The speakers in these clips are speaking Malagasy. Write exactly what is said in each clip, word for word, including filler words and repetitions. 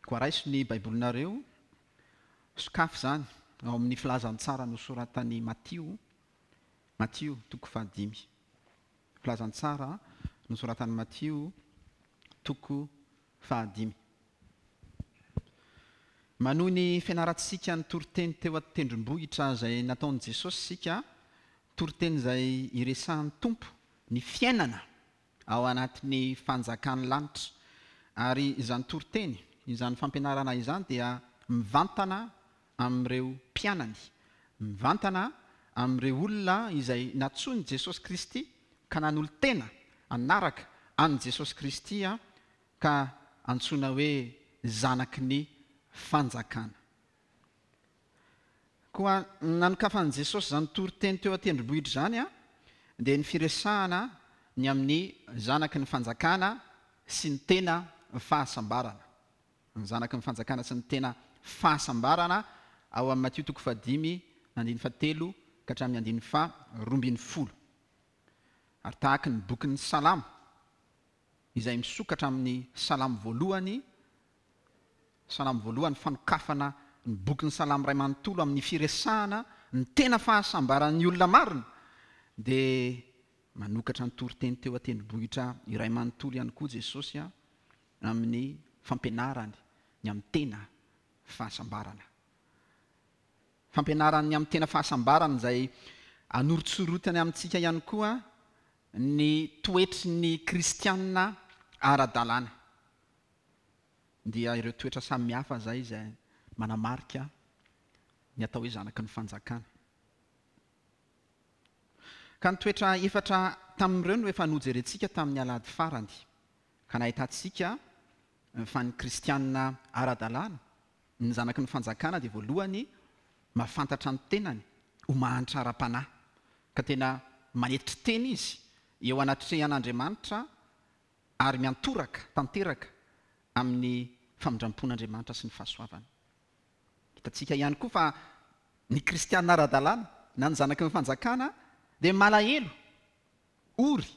Koa raiso ny Baibolinareo, sokafy izany ao amin'ny filazantsara nosoratan'i Matio, Matio toko fahadimy. Filazantsara nosoratan'i Matio toko fahadimy. Manohy ny fianarantsika ny toriteny teo an-tendrombohitra izay nataon'i Jesosy isika, toriteny izay iresahan'ny Tompo ny fiainana ao anatin'ny fanjakan'ny lanitra. Ary izany toriteny, izany fampianarana izany dia mivantana amin'ireo mpianany, mivantana amin'ireo olona izay nantsoin'i Jesosy Kristy ka nanolo-tena hanaraka an'i Jesosy Kristy ka antsoina hoe zanaky ny fanjakana. Koa nanokafan'i Jesosy izany toriteny teo an-tendrombohitra izany dia ny firesahana ny amin'ny zanaky ny fanjakana sy ny tena fahasambarana. Ny zanaky ny fanjakana sy ny tena fahasambarana ao amin'ny Matio toko fahadimy andininy fahatelo ka hatramin'ny andininy faharoa ambin'ny folo. Ary tahaka ny bokin'ny Salamo izay misokatra amin'ny Salamo voalohany, Salamo voalohany fanokafana ny bokin'ny Salamo iray manontolo amin'ny firesahana ny tena fahasambaran'ny olona marina, dia manokatra ny toriteny teo an-tendrombohitra iray manontolo ihany koa Jesosy amin'ny fampianarany ny amin'ny tena fahasambarana. Fampianarany ny amin'ny tena fahasambarana izay anorotsorotany amintsika ihany koa ny toetry ny kristianina ara-dalàna. Dia ireo toetra samihafa izay izay manamarika ny atao hoe zanaky ny fanjakana. Ka ny toetra efatra tamin'ireo no efa nojerentsika tamin'ny alahady farany, ka nahitantsika fa ny kristianina ara-dalàna, ny zanaky ny fanjakana dia voalohany mahafantatra ny tenany ho mahantra ara-panahy, ka tena manetry tena izy eo anatrehan'Andriamanitra ary miantoraka tanteraka amin'ny famindram-pon'Andriamanitra sy ny fahasoavany. Hitantsika ihany koa fa ny kristianina ara-dalàna na ny zanaky ny fanjakana dia malahelo, ory,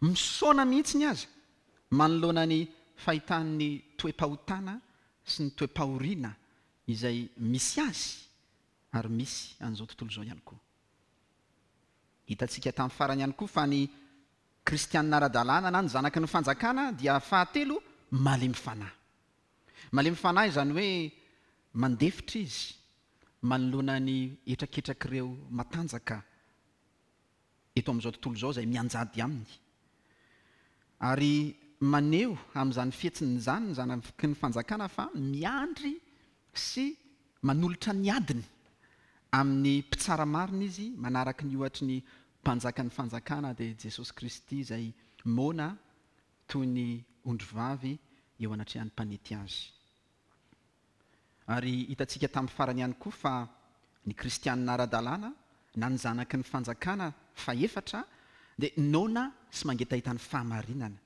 misaona mihitsy ny aza manoloana ny fahitan'ny toe-pahotana sy ny toe-pahoriana izay misy azy ary misy an'izao tontolo izao ihany koa. Hitantsika tamin'ny farany ihany koa fa ny kristianina ara-dalàna na ny zanaky ny fanjakana dia fahatelo malemy fanahy. Malemy fanahy izany hoe mandefitra izy manoloana ny hetraketrak'ireo matanjaka eto amin'izao tontolo izao izay mianjady aminy. Ary maneho amin'izany fihetsiny izany ny zanaky ny fanjakana fa miandry sy manolotra ny adiny amin'ny mpitsara marina izy, manaraka ny ohatry ny mpanjakan'ny fanjakana dia Jesosy Kristy izay moana toy ny ondrivavy eo anatrehan'ny mpanety azy. Ary hitantsika tamin'ny farany ihany koa fa ny kristianina ara-dalàna na ny zanaky ny fanjakana fahefatra dia noana sy mangetaheta ny fahamarinana.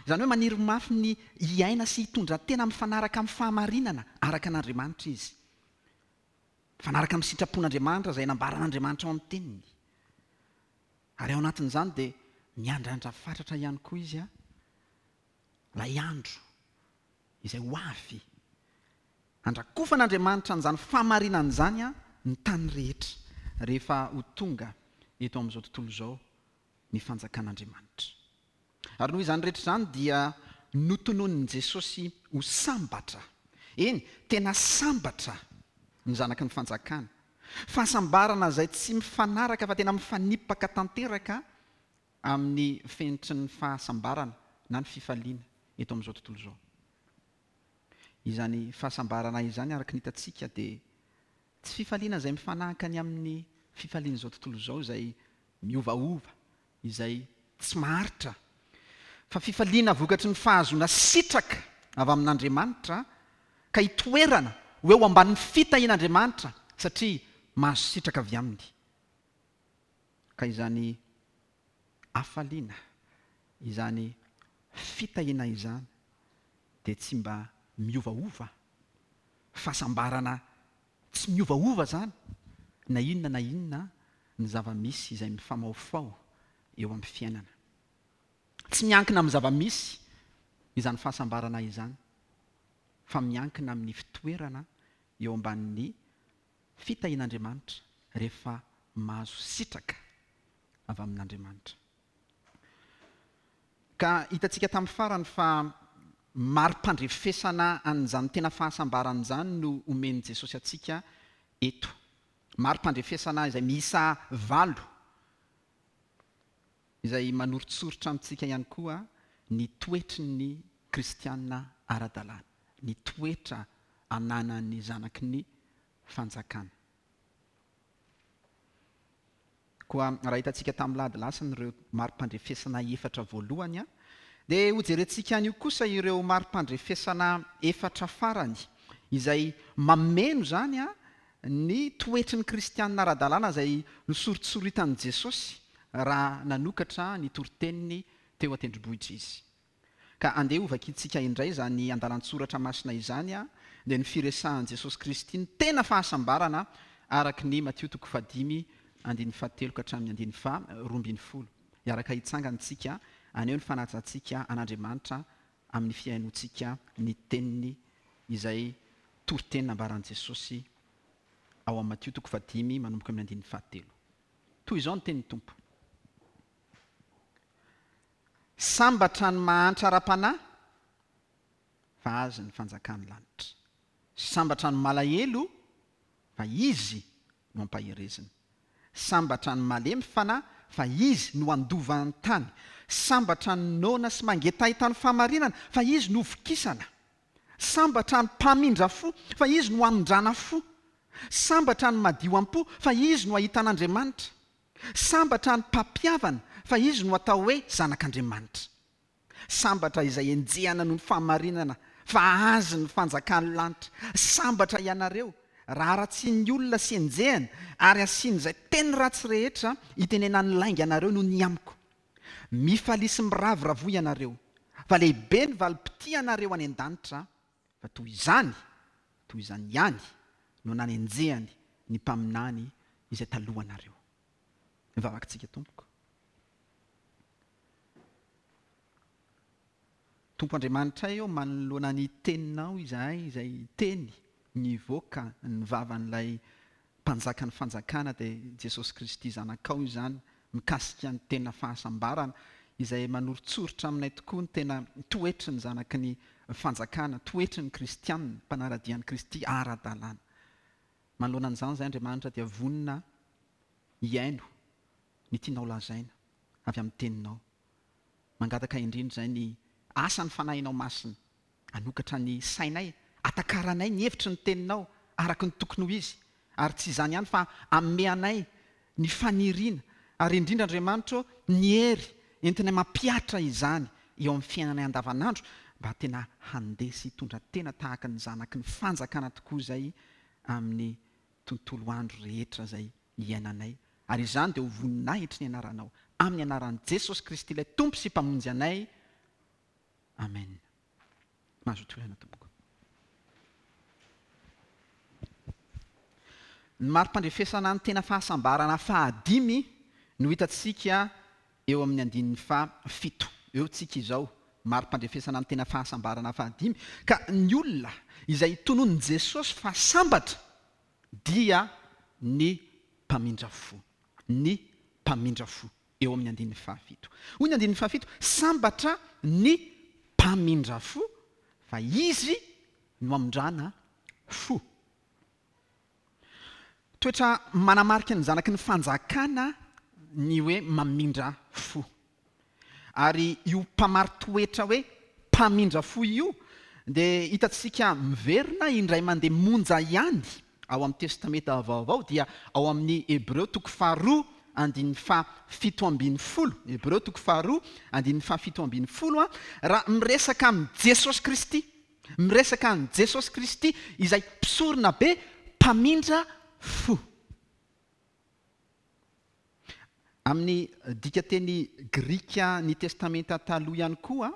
Izany hoe maniry mafy ny hiaina sy hitondra tena mifanaraka amin'ny fahamarinana araka an'Andriamanitra izy. Mifanaraka amin'ny sitrapon'Andriamanitra izay nambaran'Andriamanitra ao amin'ny teniny. Ary ao anatin'izany dia miandrandra fatratra ihany koa izy ilay andro izay ho avy andrakofan'Andriamanitra an'izany fahamarinana izany ny tany rehetra rehefa ho tonga eto amin'izao tontolo izao ny fanjakan'Andriamanitra. Ary noho izany rehetra izany dia notononin'i Jesosy ho sambatra. Eny, tena sambatra ny zanaky ny fanjakana. Fahasambarana izay tsy mifanaraka fa tena mifanipaka tanteraka amin'ny fenitry ny fahasambarana na ny fifaliana eto amin'izao tontolo izao. Izany fahasambarana izany araka ny hitantsika dia tsy fifaliana izay mifanahaka ny amin'ny fifalian'izao tontolo izao izay miovaova, izay tsy maharitra, fa fifaliana vokatry ny fahazoana sitraka avy amin'Andriamanitra ka hitoerana ho eo ambanin'ny fitahian'Andriamanitra satria mahazo sitraka avy aminy. Ka izany hafaliana, izany fitahiana izany dia tsy mba miovaova. Fahasambarana tsy miovaova izany na inona na inona ny zava-misy izay mifamaofao eo amin'ny fiainana. Tsy miankina amin'ny zava-misy izany fahasambarana izany. fa miankina amin'ny fitoerana eo ambanin'ny fitahian'Andriamanitra rehefa mahazo sitraka avy amin'Andriamanitra. Ka hitantsika tamin'ny farany fa mari-pandrefesana an'izany tena fahasambarana izany no omen'i Jesosy antsika eto. Mari-pandrefesana izay miisa valo, izay manoritsoritra amintsika ihany koa ny toetry ny kristiana ara-dalàna, ny toetra ananan'ny zanaky ny fanjakana. Koa raha hitantsika tamin'ny lahady lasany ireo mari-pandrefesana efatra voalohany, dia hojerentsika anio kosa ireo mari-pandrefesana efatra farany izay mameno izany ny toetry ny kristiana ara-dalàna izay nosoritsoritan'i Jesosy raha nanokatra ny toriteniny teo an-tendrombohitra izy. Ka andeha hovakintsika indray izany andalan-tsoratra masina izany, dia ny firesahan'i Jesosy Kristy ny tena fahasambarana araka ny Matio toko fahadimy andininy fahatelo ka hatramin'ny andininy faharoa ambin'ny folo. Hiaraka hitsangantsika haneho ny fanajantsika an'Andriamanitra amin'ny fihainoantsika ny teniny izay toriteny nambaran'i Jesosy ao amin'ny Matio toko fahadimy manomboka amin'ny andininy fahatelo. Toy izao ny tenin'ny Tompo: Sambatra ny mahantra ara-panahy fa azy ny fanjakan'ny lanitra. Sambatra ny malahelo fa izy no ampaherezina. Sambatra ny malemy fanahy fa izy no handova ny tany. Sambatra ny noana sy mangetaheta ny fahamarinana fa izy no vokisana. Sambatra ny mpamindra fo fa izy no hamindrana fo. Sambatra ny madio am-po fa izy no ahitan'Andriamanitra. Sambatra ny mpampihavana fa izy no atao hoe zanak'Andriamanitra. Sambatra izay enjehana noho ny fahamarinana fa azy ny fanjakan'ny lanitra. Sambatra ianareo raha haratsian'ny olona sy enjehana ary asian'izay teny ratsy rehetra itenenan'ny lainga anareo noho ny amiko. Mifalia sy miravoravoa ianareo fa lehibe ny valim-pitia anareo any an-danitra, fa toy izany, toy izany ihany no nanenjehany ny mpaminany izay talohanareo. Mivavaka Tompoko. Tompo Andriamanitra eo manoloana ny teninao izahay, izay teny nivoaka ny vavan'ilay mpanjakan'ny fanjakana dia Jesosy Kristy zanakao izany, mikasika ny tena fahasambarana izay manoritsoritra aminay tokoa ny tena toetry ny zanaky ny fanjakana, toetry ny kristianina, mpanara-dia an'i Kristy ara-dalàna. Manoloana an'izany izay Andriamanitra dia vonona hihaino ny tianao lazaina avy amin'ny teninao. Mangataka indrindra izay ny asan'ny fanahinao masina, hanokatra ny sainay, atakaranay ny hevitry ny teninao araka ny tokony ho izy, ary tsy izany ihany fa ameanay ny faniriana, ary indrindra Andriamanitra ny hery entinay mampihatra izany eo amin'ny fiainanay andavanandro mba tena handeha sy hitondra tena tahaka ny zanaky ny fanjakana tokoa izay amin'ny tontolo andro rehetra izay iainanay. Ary izany dia ho voninahitry ny anaranao, amin'ny anaran'i Jesosy Kristy ilay Tompo sy Mpamonjy anay. Amen. Mahazo toerana Tompoko. Ny mari-pandrefesana ny tena fahasambarana fahadimy no hitantsika eo amin'ny andininy fahafito. Eo tsika izao, mari-pandrefesana ny tena fahasambarana fahadimy. Ka ny olona izay tononin'i Jesosy fa sambatra dia ny mpamindra fo. Ny mpamindra fo eo amin'ny andininy fahafito. Hoy ny andininy fahafito: sambatra ny mpamindra fo fa izy no hamindrana fo. Toetra manamarika ny zanaky ny fanjakana ny hoe mamindra fo. Ary io mpamaritoetra hoe mpamindra fo io dia hitantsika miverina indray mandeha monja ihany ao amin'ny Testamenta Vaovao, dia ao amin'ny Hebreo toko faharoa andininy fahafito ambin'ny folo. Hebreo toko faharoa andininy fahafito ambin'ny folo, raha miresaka amin'i Jesosy Kristy, miresaka amin'i Jesosy Kristy izay mpisorona be mpamindra fo. Amin'ny dikateny grika ny Testamenta Taloha ihany koa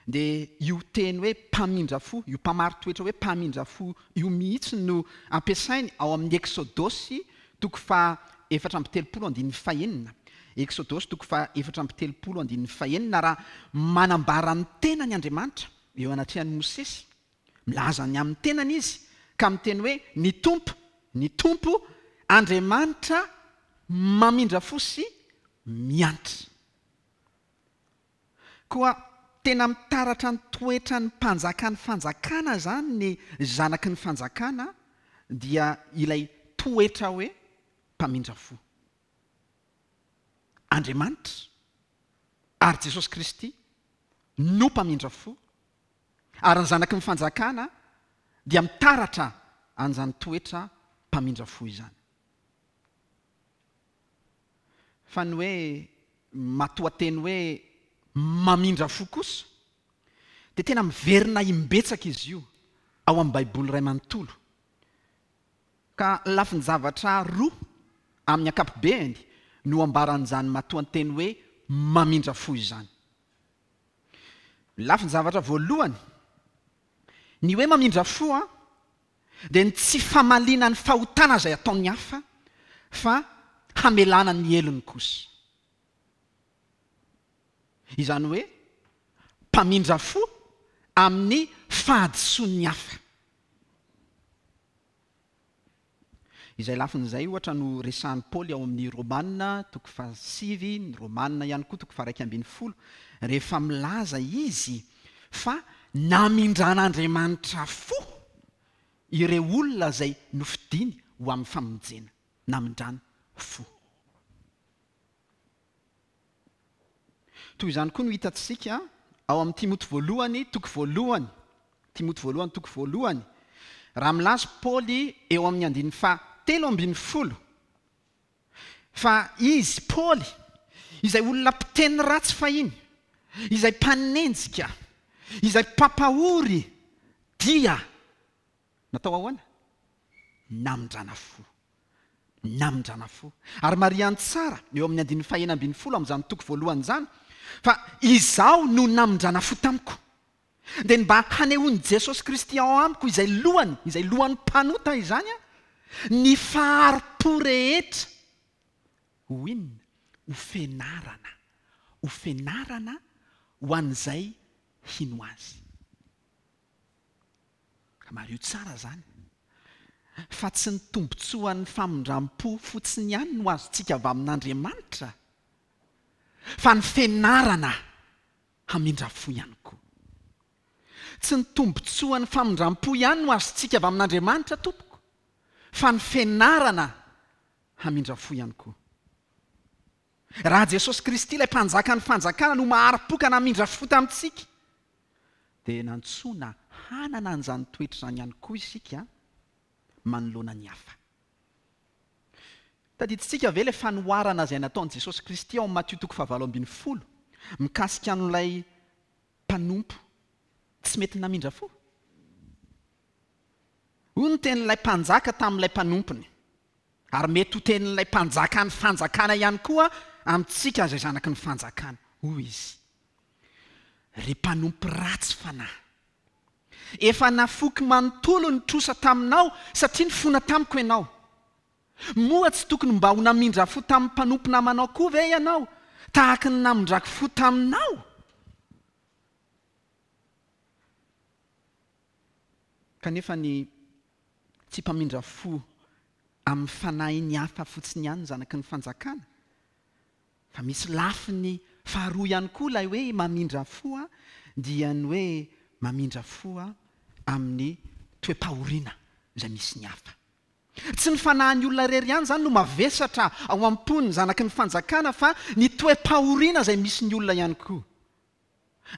dia io teny hoe mpamindra fo, io mpamaritoetra hoe mpamindra fo io mihitsy no ampiasainy ao amin'ny Eksodosy toko faha efatra amby telopolo andininy fahenina. Eksodosy toko faha efatra amby telopolo andininy fahenina, raha manambara ny tenany Andriamanitra eo anatrehan'i Mosesy Milaza ny amin'ny tenany izy ka miteny hoe ny Tompo, ny Tompo Andriamanitra mamindra fo sy miantra. Koa tena mitaratra ny toetran'ny mpanjakan'ny fanjakana izany ny zanaky ny fanjakana, dia ilay toetra hoe mpamindra fo. Andriamanitra ary Jesosy Kristy no mpamindra fo, ary ny zanaky ny fanjakana dia mitaratra an'izany toetra mpamindra fo izany. Fa ny hoe matoanteny hoe mamindra fo kosa dia tena miverina imbetsaka izy io ao amin'ny Baiboly iray manontolo. Ka lafin-javatra roa amin'ny ankapobeny no ambaran'izany matoanteny hoe mamindra fo izany. Lafin-javatra voalohany, ny hoe mamindra fo a dia ny tsy famaliana ny fahotana izay ataon'ny hafa fa hamelana ny helony kosa. Izany hoe mpamindra fo amin'ny fahadisoan'ny hafa. Izay lafin'izay ohatra no resahan'i Paoly ao amin'ny Romana toko fahasivy, ny Romana ihany koa toko faha-iraika ambin'ny folo, rehefa milaza izy fa namindran'Andriamanitra fo ireo olona izay nofidiny ho amin'ny famonjena, namindrany fo. Toy izany koa no hitantsika ao amin'ny Timoty voalohany toko voalohany, Timoty voalohany toko voalohany, raha milaza Paoly eo amin'ny andininy faha telo ambin'ny folo fa izy Paoly izay olona mpiteny ratsy fahiny, izay mpanenjika, izay mpampahory, dia natao ahoana? Namindrana fo. Namindrana fo. Ary marihany tsara eo amin'ny andininy faha enina ambin'ny folo amin'izany toko voalohany izany fa izaho no namindrana fo tamiko. Dia ny mba hanehoan'i Jesosy Kristy ao amiko izay lohany, izay lohan'ny mpanota izany, ny fahari-po rehetra ho inona? Ho fenarana. Ho fenarana ho an'izay hino azy. Ka mariho tsara izany fa tsy ny tombontsoan'ny famindram-po fotsiny ihany no azontsika avy amin'Andriamanitra, fa ny fenarana hamindra fo ihany koa. Tsy ny tombontsoan'ny famindram-po ihany no azontsika avy amin'Andriamanitra tompoko, fa ny fenarana hamindra fo ihany koa. Raha Jesosy Kristy ilay mpanjakan'ny fanjakana no mahari-po ka namindra fo tamintsika, dia nantsoina hanana an'izany toetra izany ihany koa isika manoloana ny hafa. Tadidintsika ve ilay fanoharana izay nataon'i Jesosy Kristy ao amin'ny Matio toko fahavalo ambin'ny folo mikasika an'ilay mpanompo tsy mety namindra fo? Hoy ny tenin'ilay mpanjaka tamin'ilay mpanompony, ary mety ho tenin'ilay mpanjakan'ny fanjakana ihany koa amintsika izay zanaky ny fanjakana. Hoy izy: ry mpanompo ratsy fanahy, efa nafoky manontolo ny trosa taminao satria nifona tamiko ianao. Moa tsy tokony mba ho namindra fo tamin'ny mpanompo namanao koa ve ianao, tahaka ny namindrako fo taminao? Kanefa ny tsy mpamindra fo amin'ny fanahiny hafa fotsiny ihany ny zanaky ny fanjakana, fa misy lafiny faharoa ihany koa ilay hoe mamindra fo, dia ny hoe mamindra fo amin'ny toe-pahoriana izay misy ny hafa. Tsy ny fanahin'ny olona irery ihany izany no mavesatra ao am-pony zanaky ny fanjakana, fa ny toe-pahoriana izay misy ny olona ihany koa.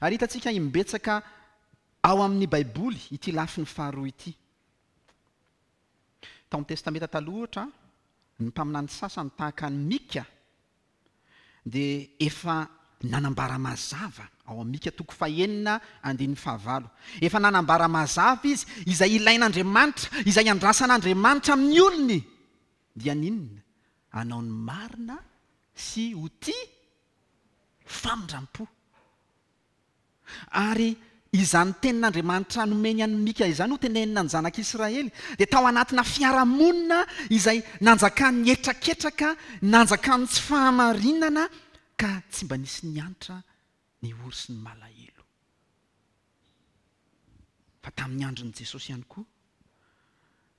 Ary hitantsika imbetsaka ao amin'ny Baiboly ity lafiny faharoa ity. Tao amin'ny Testamenta Taloha ohatra, ny mpaminany sasany tahaka an'i Mika dia efa nanambara mazava ao amin'ny Mika toko fahenina andininy fahavalo. Efa nanambara mazava izy izay ilain'Andriamanitra, izay andrasan'Andriamanitra amin'ny olony, dia n'inona? Hanao ny marina sy ho tia famindram-po. Ary izany tenin'Andriamanitra nomeny an'i Mika izany ho tenenina ny zanak'Israely dia tao anatina fiarahamonina izay nanjakan'ny hetraketraka, nanjakan'ny tsy fahamarinana, ka tsy mba nisy niantra ny ory sy ny malahelo. Fa Fa tamin'ny andron'i Jesosy ihany koa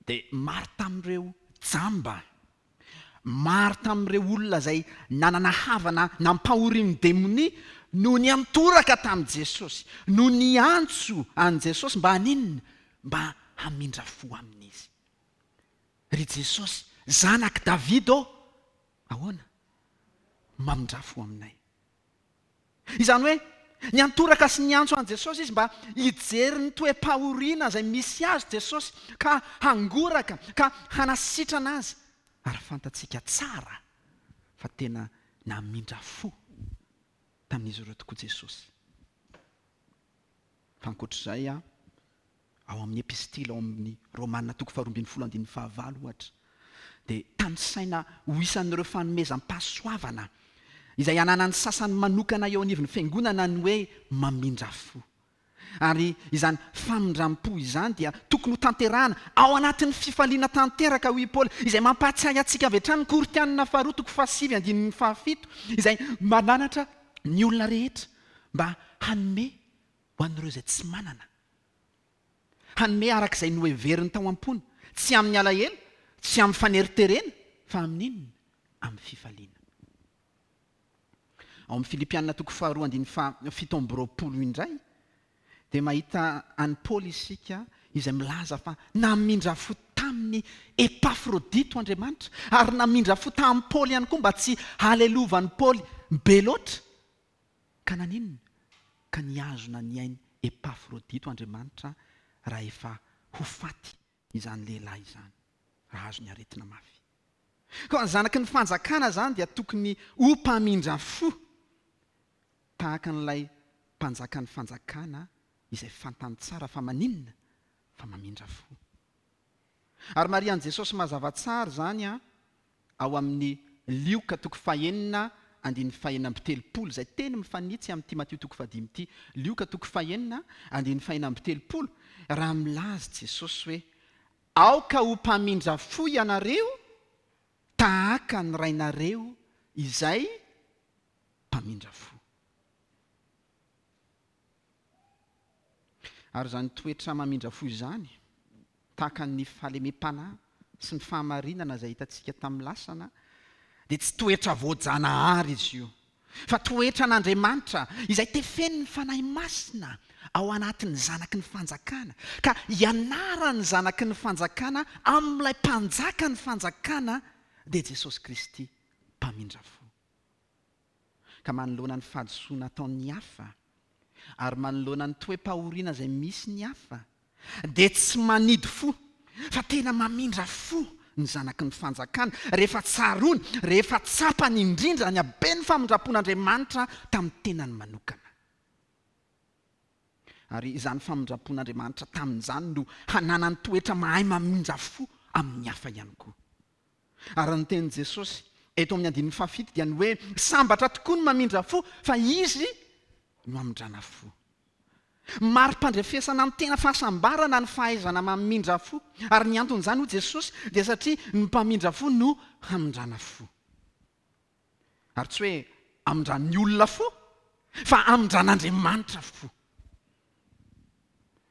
dia maro tamin'ireo jamba, maro tamin'ireo olona izay nanana havana nampahorian'ny demonia no niantoraka tamin'i Jesosy, no niantso an'i Jesosy mba haninona? Mba hamindra fo amin'izy. Ry Jesosy, zanak'i David ô, ahoana? Mamindra fo aminay. Izany hoe niantoraka sy niantso an'i Jesosy izy mba hijery ny toe-pahoriana izay misy azy Jesosy ka hangoraka, ka hanasitrana azy. Ary fantatsika tsara fa tena namindra fo tamin'izy ireo tokoa Jesosy. Fa ankoatr'izay, ao amin'ny epistily ao amin'ny Romana toko faharoa ambin'ny folo andininy fahavalo ohatra, dia tanisaina ho isan'ireo fanomezam-pahasoavana izay ananan'ny sasany manokana eo anivon'ny fiangonana ny hoe mamindra fo. Ary izany famindram-po izany dia tokony ho tanterahana ao anatin'ny fifaliana tanteraka, hoy i Paoly, izay mampahatsiahy antsika avy hatrany ny Korintianina faharoa toko fahasivy andininy fahafito, izay mananatra ny olona rehetra mba hanome ho an'ireo izay tsy manana. Hanome araka izay noheveriny tao am-pony, tsy amin'ny alahelo, tsy amin'ny faneriterena, fa amin'inona? Amin'ny fifaliana. Ao amin'ny Filipianina toko faharoa andininy fahafito amby roapolo indray dia mahita an'i Paoly isika izay milaza fa namindra fo tamin'ny Epafrodito Andriamanitra, ary namindra fo tamin'i Paoly ihany koa mba tsy halelovan'i Paoly be loatra. Ka naninona? Ka nihazona ny ain'i Epafrodito Andriamanitra raha efa ho faty izany lehilahy izany, raha azo ny aretina mafy. Koa ny zanaky ny fanjakana izany dia tokony ho mpamindra fo tahaka an'ilay mpanjakan'ny fanjakana izay fantany tsara fa maninona? Fa mamindra fo. Ary marian'i Jesosy mazava tsara izany ao amin'ny Lioka toko fahenina andininy fahenina amby telopolo, izay teny mifanitsy amin'ity Matio toko fahadimy ity. Lioka toko fahenina andininy fahenina amby telopolo, raha milaza Jesosy hoe aoka ho mpamindra fo ianareo tahaka ny rainareo izay mpamindra fo. Ary izany toetra mamindra fo izany, tahaka ny fahalemem-panahy sy ny fahamarinana izay hitantsika tamin'ny lasana, dia tsy toetra voajanahary izy io, fa toetra an'Andriamanitra izay tefen'ny Fanahy Masina ao anatin'ny zanaky ny fanjakana, ka ianaran'ny zanaky ny fanjakana amin'ilay mpanjaka ny fanjakana, dia Jesosy Kristy mpamindra fo. Ka manoloana ny fahadisoana ataon'ny hafa, ary manoloana ny toe-pahoriana izay misy ny hafa, dia tsy manidy fo, fa tena mamindra fo ny zanaky ny fanjakana, rehefa tsaroany, rehefa tsapany indrindra ny haben'ny famindram-pon'Andriamanitra tamin'ny tenany manokana. Ary izany famindram-pon'Andriamanitra tamin'izany no hananany toetra mahay mamindra fo amin'ny hafa ihany koa. Ary ny tenin'i Jesosy eto amin'ny andininy fahafito dia ny hoe sambatra tokoa ny mamindra fo, fa izy no hamindrana fo. Mari-pandrefesana ny tena fahasambarana ny fahaizana mamindra fo. Ary ny anton'izany hoy Jesosy dia satria ny mpamindra fo no hamindrana fo. Ary tsy hoe hamindran'ny olona fo, fa hamindran'Andriamanitra fo.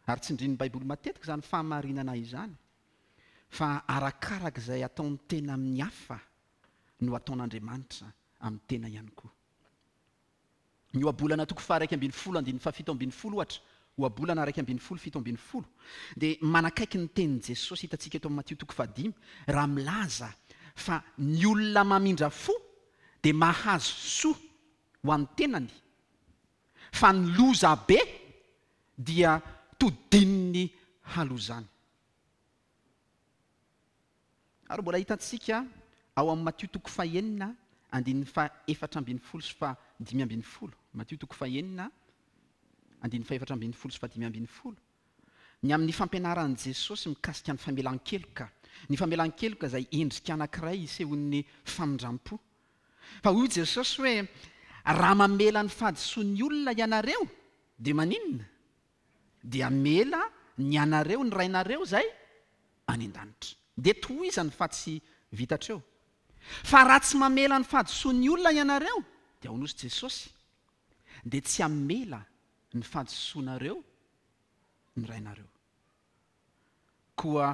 Ary tsindrin'ny Baiboly matetika izany fahamarinana izany, fa arakaraka izay ataon'ny tena amin'ny hafa no ataon'Andriamanitra amin'ny tena ihany koa. Ny ohabolana toko faha iraika ambin'ny folo andininy fahafito ambin'ny folo ohatra, ohabolana iraika ambin'ny folo fito ambin'ny folo, dia manakaiky ny tenin'i Jesosy hitantsika eto amin'ny Matio toko fahadimy, raha milaza fa ny olona mamindra fo dia mahazo soa ho an'ny tenany, fa ny loza be dia todin'ny halozany. Ary mbola hitantsika ao amin'ny Matio toko fahenina andininy fahaefatra ambin'ny folo sy fahadimy ambin'ny folo. Matio toko fahenina andininy fahaefatra ambin'ny folo sy fahadimy ambin'ny folo. Ny amin'ny fampianaran'i Jesosy mikasika ny famelan-keloka. Ny famelan-keloka izay endrika anankiray isehoan'ny famindram-po. Fa hoy Jesosy hoe raha mamela ny fahadisoan'ny olona ianareo dia maninona? Dia mela ny anareo, ny rainareo izay any an-danitra. Dia tohizany fa tsy vita hatreo. Fa raha tsy mamela ny fahadisoan'ny olona ianareo, dia hoy Jesosy, dia tsy hamela ny fahadisoanareo ny rainareo. Koa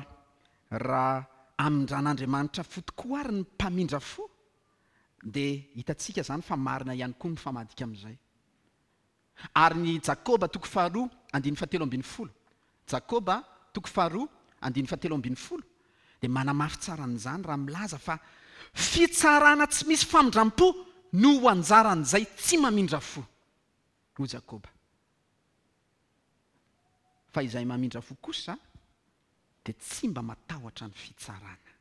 raha amindran'Andriamanitra fo tokoa ary ny mpamindra fo, dia hitantsika izany fa marina ihany koa mifamadika amin'izay. Ary ny Jakoba toko faharoa andininy fahatelo ambin'ny folo, Jakoba toko faharoa andininy fahatelo ambin'ny folo, dia manamafy tsara an'izany raha milaza fa fitsarana tsy misy famindram-po no ho anjaran'izay tsy mamindra fo, hoy Jakoba. Fa izay mamindra fo kosa dia tsy mba matahotra ny fitsarana.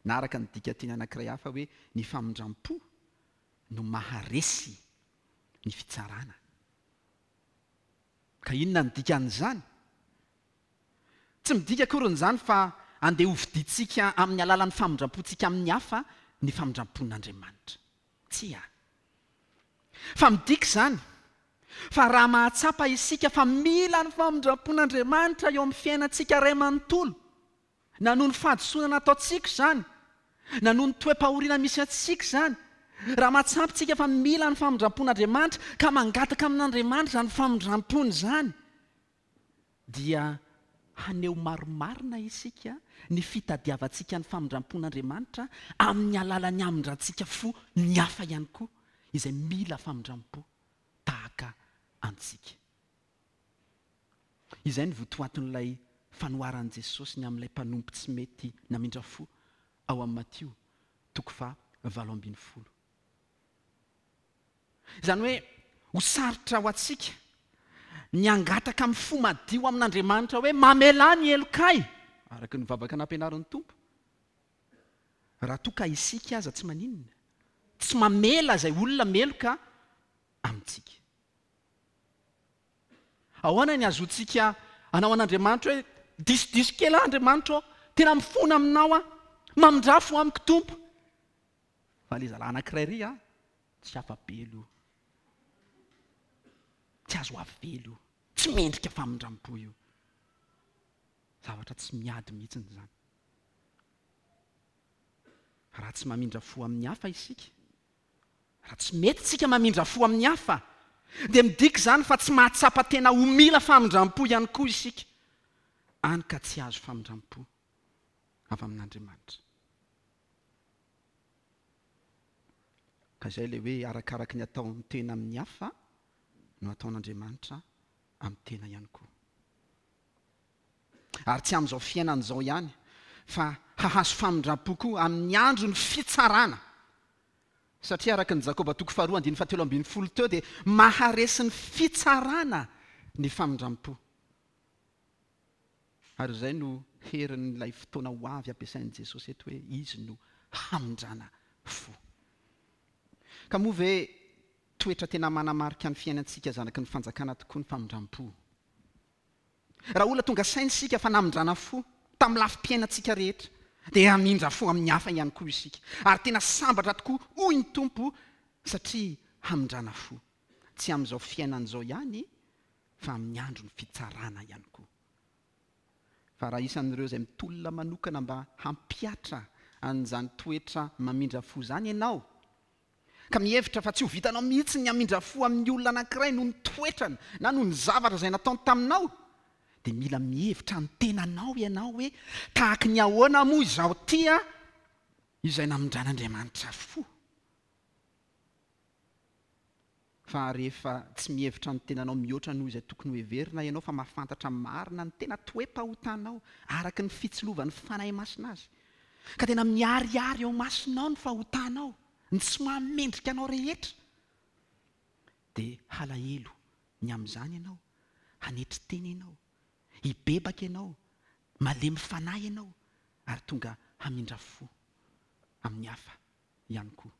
Na araka ny dikanteny anankiray hafa hoe ny famindram-po no maharesy ny fitsarana. Ka inona ny dikan'izany? Tsy midika akory izany fa andeha hovidintsika amin'ny alalan'ny famindram-pontsika amin'ny hafa ny famindram-pon'Andriamanitra. Tsia. Fa midika izany fa raha mahatsapa isika fa mila ny famindram-pon'Andriamanitra eo amin'ny fiainantsika iray manontolo, na noho ny fahadisoana nataontsika izany, na noho ny toe-pahoriana misy antsika izany, raha mahatsapa isika fa mila ny famindram-pon'Andriamanitra ka mangataka amin'Andriamanitra izany famindram-pony izany, dia haneho marimarina isika ny fitadiavantsika ny famindram-pon'Andriamanitra amin'ny alalan'ny hamindrantsika fo ny hafa ihany koa izay mila famindram-po tahaka antsika. Izay ny votoatin'ilay fanoharan'i Jesosy ny amin'ilay mpanompo tsy mety namindra fo ao amin'ny Matio toko faha valo ambin'ny folo. Izany hoe ho sarotra ho antsika ny hangataka amin'ny fo madio amin'Andriamanitra hoe mamelà ny helokay, araka ny vavaka nampianarin'ny Tompo. Raha toa ka isika aza tsy maninona, tsy mamela izay olona meloka amintsika. Ahoana ny azontsika hanao an'Andriamanitra hoe disodiso kely aho Andriamanitra ô, tena mifona aminao aho, mamindrafo amiko Tompo. Fa ilay zalahy anankiray ry a, tsy afa-belo io, tsy azo avelo io, tsy mendrika famindram-po io. Zavatra tsy miady mihitsy izany. Raha tsy mamindra fo amin'ny hafa isika, raha tsy mety tsika mamindra fo amin'ny hafa, dia midika izany fa tsy mahatsapa tena ho mila famindram-po ihany koa isika, any ka tsy azo famindram-po avy amin'Andriamanitra. Ka izay ilay hoe arakaraky ny ataon'ny tena amin'ny hafa no ataon'Andriamanitra amin'ny tena ihany koa. Ary tsy amin'izao fiainana izao ihany, fa hahazo famindram-po koa amin'ny andron'ny fitsarana. Satria araka ny Jakoba toko faharoa andininy fahatelo ambin'ny folo teo dia maharesy ny fitsarana ny famindram-po. Ary izay no herin'ilay fotoana ho avy ampiasain'i Jesosy eto hoe izy no hamindrana fo. Ka moa ve toetra tena manamarika ny fiainantsika zanaky ny fanjakana tokoa ny famindram-po? Raha olona tonga saina isika fa namindrana fo tamin'ny lafim-piainantsika rehetra, dia hamindra fo amin'ny hafa ihany koa isika. Ary tena sambatra tokoa hoy ny Tompo satria hamindrana fo. Tsy amin'izao fiainana izao ihany fa amin'ny andron'ny fitsarana ihany koa. Fa raha isan'ireo izay mitolona manokana mba hampihatra an'izany toetra mamindra fo izany ianao, ka mihevitra fa tsy ho vitanao mihitsy ny hamindra fo amin'ny olona anankiray noho ny toetrany na noho ny zavatra izay nataony taminao, dia mila mihevitra ny tenanao ianao hoe tahaky ny ahoana moa izaho tia izay namindran'Andriamanitra fo. Fa rehefa tsy mihevitra ny tenanao mihoatra noho izay tokony ho heverina ianao fa mahafantatra marina ny tena toe-pahotanao araka ny fitsilovan'ny Fanahy Masina azy, ka tena miharihary eo masonao ny fahotanao, ny tsy mahamendrika anao rehetra, dia halahelo ny amin'izany ianao, hanetry tena ianao, hibebaka ianao, malemy fanahy ianao, ary tonga hamindra fo amin'ny hafa ihany koa.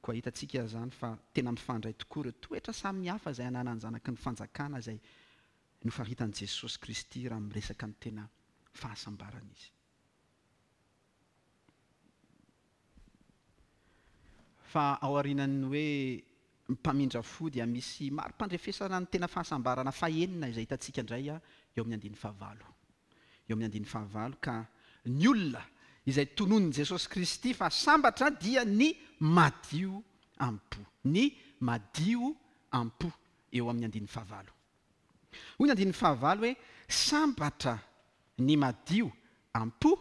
Koa hitantsika izany fa tena mifandray tokoa ireo toetra samihafa izay ananan'ny zanaky ny fanjakana izay nofaritan'i Jesosy Kristy raha miresaka ny tena fahasambarana izy. Fa ao aorianan'ny hoe mpamindra fo dia misy mari-pandrefesana ny tena fahasambarana fahenina izay hitantsika indray eo amin'ny andininy fahavalo. Eo amin'ny andininy fahavalo ka ny olona izay tononin'i Jesosy Kristy fa sambatra dia ny madio am-po. Ny madio am-po eo amin'ny andininy fahavalo. Hoy ny andininy fahavalo hoe sambatra ny madio am-po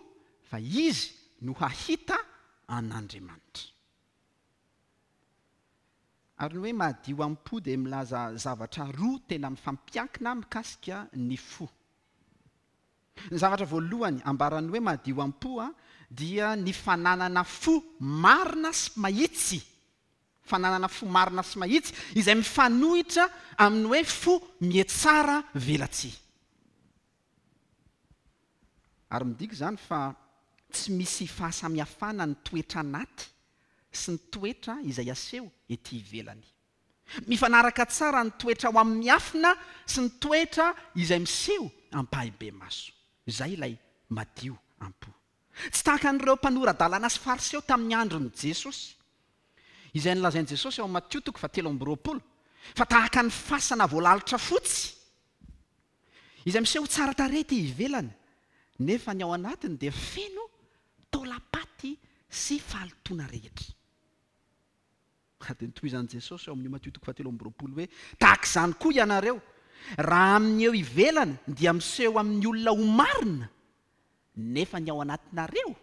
fa izy no hahita an'Andriamanitra. Ary ny hoe madio am-po dia milaza zavatra roa tena mifampiankina mikasika ny fo. Ny zavatra voalohany ambaran'ny hoe madio am-po a dia ny fananana fo marina sy mahitsy. Fananana fo marina sy mahitsy izay mifanohitra amin'ny hoe fo mietsara velatsihy. Ary midika izany fa tsy misy fahasamihafana ny toetra anaty sy ny toetra izay aseho ety ivelany. Mifanaraka tsara ny toetra ao amin'ny miafina sy ny toetra izay miseho ampahibemaso. Izay ilay madio am-po. Tsy tahaka an'ireo mpanora-dalàna sy fariseo tamin'ny andron'i Jesosy, izay nolazain'i Jesosy ao Matio toko fahatelo amby roapolo, fa tahaka ny fasana voalalitra fotsy, izay miseho tsara tarehy ety ivelany, nefa ny ao anatiny dia feno taolam-paty sy fahalotoana rehetra. Ary dia notohizan'i Jesosy ao amin'ny Matio toko fahatelo amby roapolo hoe tahaka izany koa ianareo, raha amin'ny eo ivelany dia miseho amin'ny olona ho marina, nefa ny ao anatinareo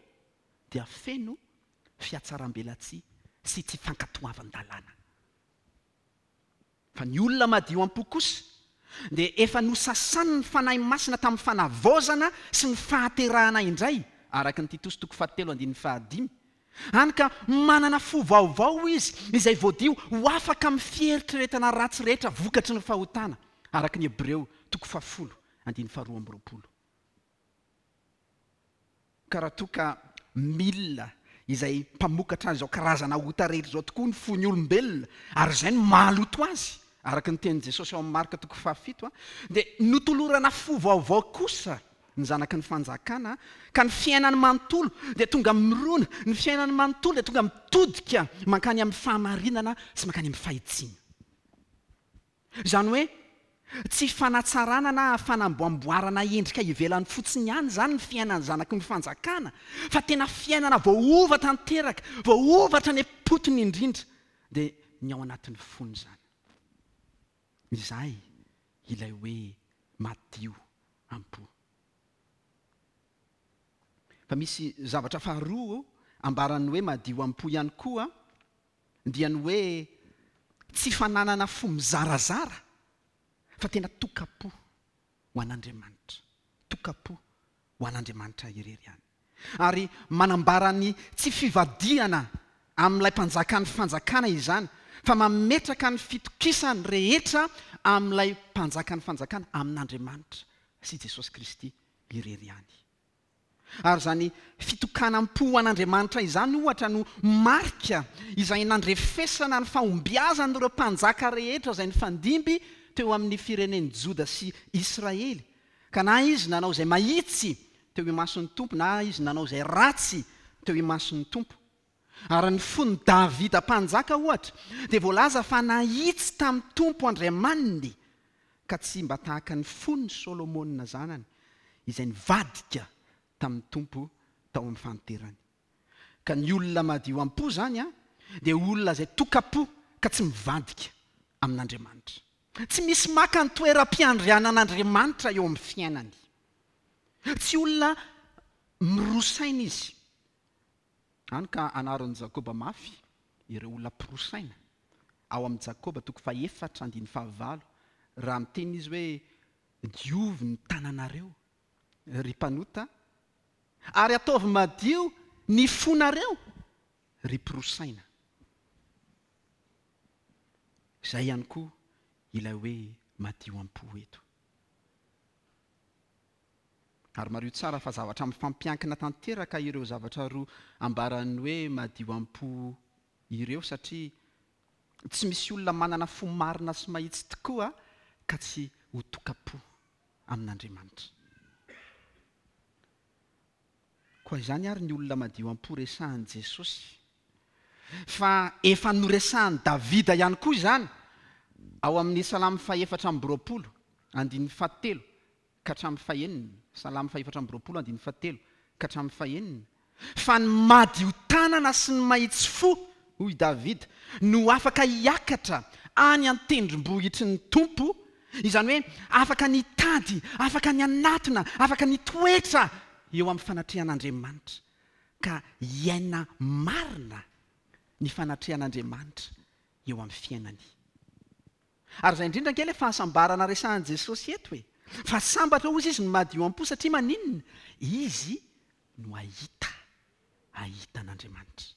dia feno fihatsaram-belatsihy sy tsy fankatoavan-dalàna. Fa ny olona madio am-po kosa dia efa nosasan'ny Fanahy Masina tamin'ny fanavaozana sy ny fahaterahana indray, araka ny Titosy toko fahatelo andininy fahadimy. Hany ka manana fo vaovao izy izay voadio ho afaka amin'ny fieritreretana ratsy rehetra vokatry ny fahotana, araka ny Hebreo toko fahafolo andininy faharoa amby roapolo. Ka raha toa ka milina izay mpamokatra izao karazana ota rehetra izao tokoa ny fon'ny olombelona, ary izay no mahaloto azy, araka ny tenin'i Jesosy ao amin'ny Marka toko fahafito, dia notolorana fo vaovao kosa ny zanaky ny fanjakana, ka ny fiainany manontolo dia tonga mirona, ny fiainany manontolo dia tonga mitodika mankany amin'ny fahamarinana sy mankany amin'ny fahitsiana. Izany hoe tsy fanatsarana na fanamboamboarana endrika ivelany fotsiny ihany izany ny fiainan'ny zanaky ny fanjakana, fa tena fiainana voaova tanteraka, voaova hatrany am-potony indrindra, dia ny ao anatin'ny fony izany. Izay ilay hoe madio am-po. Fa misy zavatra faharoa ambaran'ny hoe madio am-po ihany koa, dia ny hoe tsy fananana fo mizarazara, fa tena tokam-po ho an'Andriamanitra. Tokam-po ho an'Andriamanitra irery ihany. Ary manambara ny tsy fivadihana amin'ilay mpanjakan'ny fanjakana izany, fa mametraka ny fitokisany rehetra amin'ilay mpanjakan'ny fanjakana, amin'Andriamanitra sy Jesosy Kristy irery ihany. Ary izany fitokanam-po ho an'Andriamanitra izany ohatra no marika izay nandrefesana ny fahombiazan'ireo mpanjaka rehetra izay nifandimby teo amin'ny firenen'i Joda sy Israely. Ka na izy nanao izay mahitsy teo imason'ny Tompo, na izy nanao izay ratsy teo imason'ny Tompo. Ary ny fon'i Davida mpanjaka ohatra dia voalaza fa nahitsy tamin'ny Tompo Andriamaniny, ka tsy mba tahaka ny fon'i Solomona zanany izay nivadika tamin'ny Tompo tao amin'ny fahanterany. Ka ny olona madio am-po zany a dia olona izay tokam-po ka tsy mivadika amin'Andriamanitra. Tsy misy maka ny toeram-piandrianan'Andriamanitra eo amin'ny fiainany. Tsy olona mirosaina izy. Hany ka anarin'i Jakoba mafy ireo olona mpirosaina. Ao amin'ny Jakoba toko fahefatra andininy fahavalo, raha miteny izy hoe diovy ny tananareo ry mpanota, ary ataovy madio ny fonareo ry mpirosaina. Izay ihany koa ilay hoe madio am-po eto. Ary mariho tsara fa zavatra mifampiankina tanteraka ireo zavatra roa ambaran'ny hoe madio am-po ireo, satria tsy misy olona manana fo marina sy mahitsy tokoa ka tsy ho tokam-po amin'Andriamanitra. Koa izany ary ny olona madio am-po resahan'i Jesosy. Fa efa noresahan'i Davida ihany koa izany ao amin'ny Salamo fahefatra amby roapolo andininy fahatelo ka hatramin'ny fahenina. Salamo fahefatra amby roapolo andininy fahatelo ka hatramin'ny fahenina. Fa ny madio tanana sy ny mahitsy fo, hoy Davida, no afaka hiakatra any an-tendrombohitry ny Tompo, Izany hoe afaka ny hitady, afaka ny hanatona, afaka ny hitoetra eo amin'ny fanatrehan'Andriamanitra. Ka hiaina marina ny fanatrehan'Andriamanitra eo amin'ny fiainany. Ary izay indrindra ange ilay fahasambarana resahan'i Jesosy eto e. Fa sambatra hozy izy no madio am-po satria maninona? Izy no hahita, hahita an'Andriamanitra.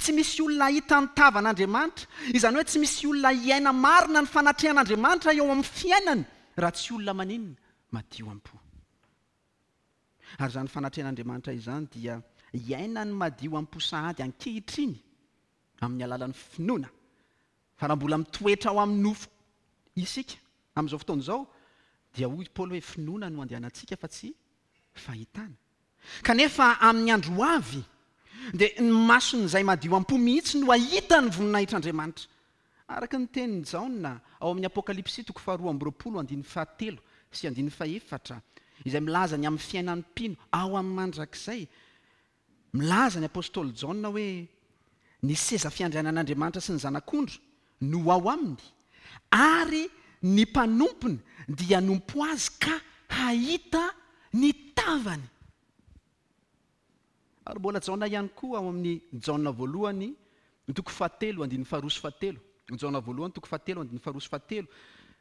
Tsy misy olona hahita ny tavan'Andriamanitra. Izany hoe tsy misy olona hiaina marina ny fanatrehan'Andriamanitra eo amin'ny fiainany raha tsy olona maninona? Madio am-po. Ary izany fanatrehan'Andriamanitra izany dia hiaina ny madio am-po sahady ankehitriny amin'ny alalan'ny finoana. Fa raha mbola mitoetra ao amin'ny nofo isika amin'izao fotoana izao dia hoy Paoly hoe finoana no andehanantsika fa tsy fahitana. Kanefa amin'ny andro ho avy dia ny mason'izay madio am-po mihitsy no hahita ny voninahitr'Andriamanitra. Araka ny tenin'i Jaona ao amin'ny Apokalypsy toko faharoa amby roapolo andininy fahatelo sy andininy fahefatra, izay milaza ny amin'ny fiainan'ny mpino ao amin'ny mandrakizay. Milaza ny apostoly Jaona hoe ny seza fiandrianan'Andriamanitra sy ny zanak'ondry no ao aminy, ary ny mpanompony dia hanompo azy ka hahita ny tavany. Ary mbola Jaona ihany koa ao amin'ny Jaona voalohany toko fahatelo andininy faharoa sy fahatelo. Jaona voalohany toko fahatelo andininy faharoa sy fahatelo.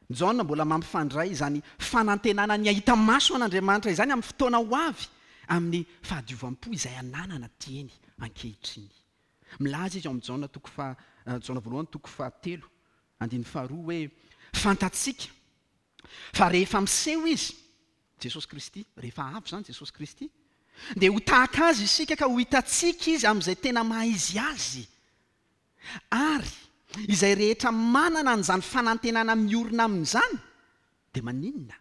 Jaona mbola mampifandray izany fanantenana ny hahita maso an'Andriamanitra izany amin'ny fotoana ho avy amin'ny fahadiovam-po izay ananana dieny ankehitriny. Milaza izy ao amin'ny Jaona toko fa Jaona voalohany toko fahatelo andininy faharoa hoe fantatsika fa rehefa miseho izy Jesosy Kristy, rehefa avy izany Jesosy Kristy, dia ho tahaka azy isika ka ho hitantsika izy amin'izay tena maha izy azy. Ary izay rehetra manana an'izany fanantenana miorina amin'izany dia maninona?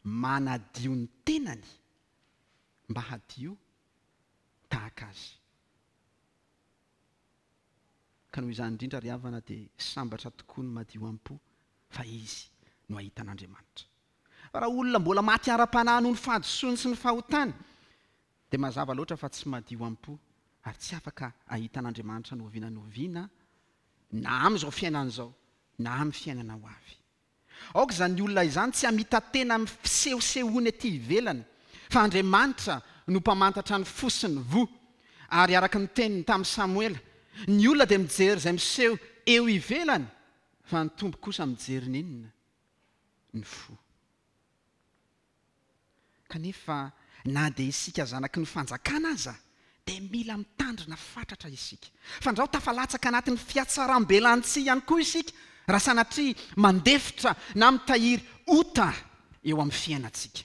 Manadio ny tenany mba hadio tahaka azy. Ka noho izany indrindra ry havana dia sambatra tokoa ny madio am-po fa izy no hahita an'Andriamanitra. Fa raha olona mbola maty ara-panahy noho ny fahadisoany sy ny fahotany dia mazava loatra fa tsy madio am-po ary tsy afaka hahita an'Andriamanitra n'oviana n'oviana na amin'izao fiainana izao na amin'ny fiainana ho avy. Aoka izany olona izany tsy hamita-tena amin'ny fisehosehoany aty ivelany, fa Andriamanitra no mpamantatra ny fo sy ny voa. Ary araka ny teniny tamin'i Samoela, ny olona dia mijery izay miseho eo ivelany, fa ny Tompo kosa mijery ny inona? Ny fo. Kanefa na dia isika zanaky ny fanjakana aza dia mila mitandrina fatratra isika. Fandrao tafalatsaka anatin'ny fiatsaram-belantsihy ihany koa isika raha sanatria mandefitra na mitahiry ota eo amin'ny fiainantsika.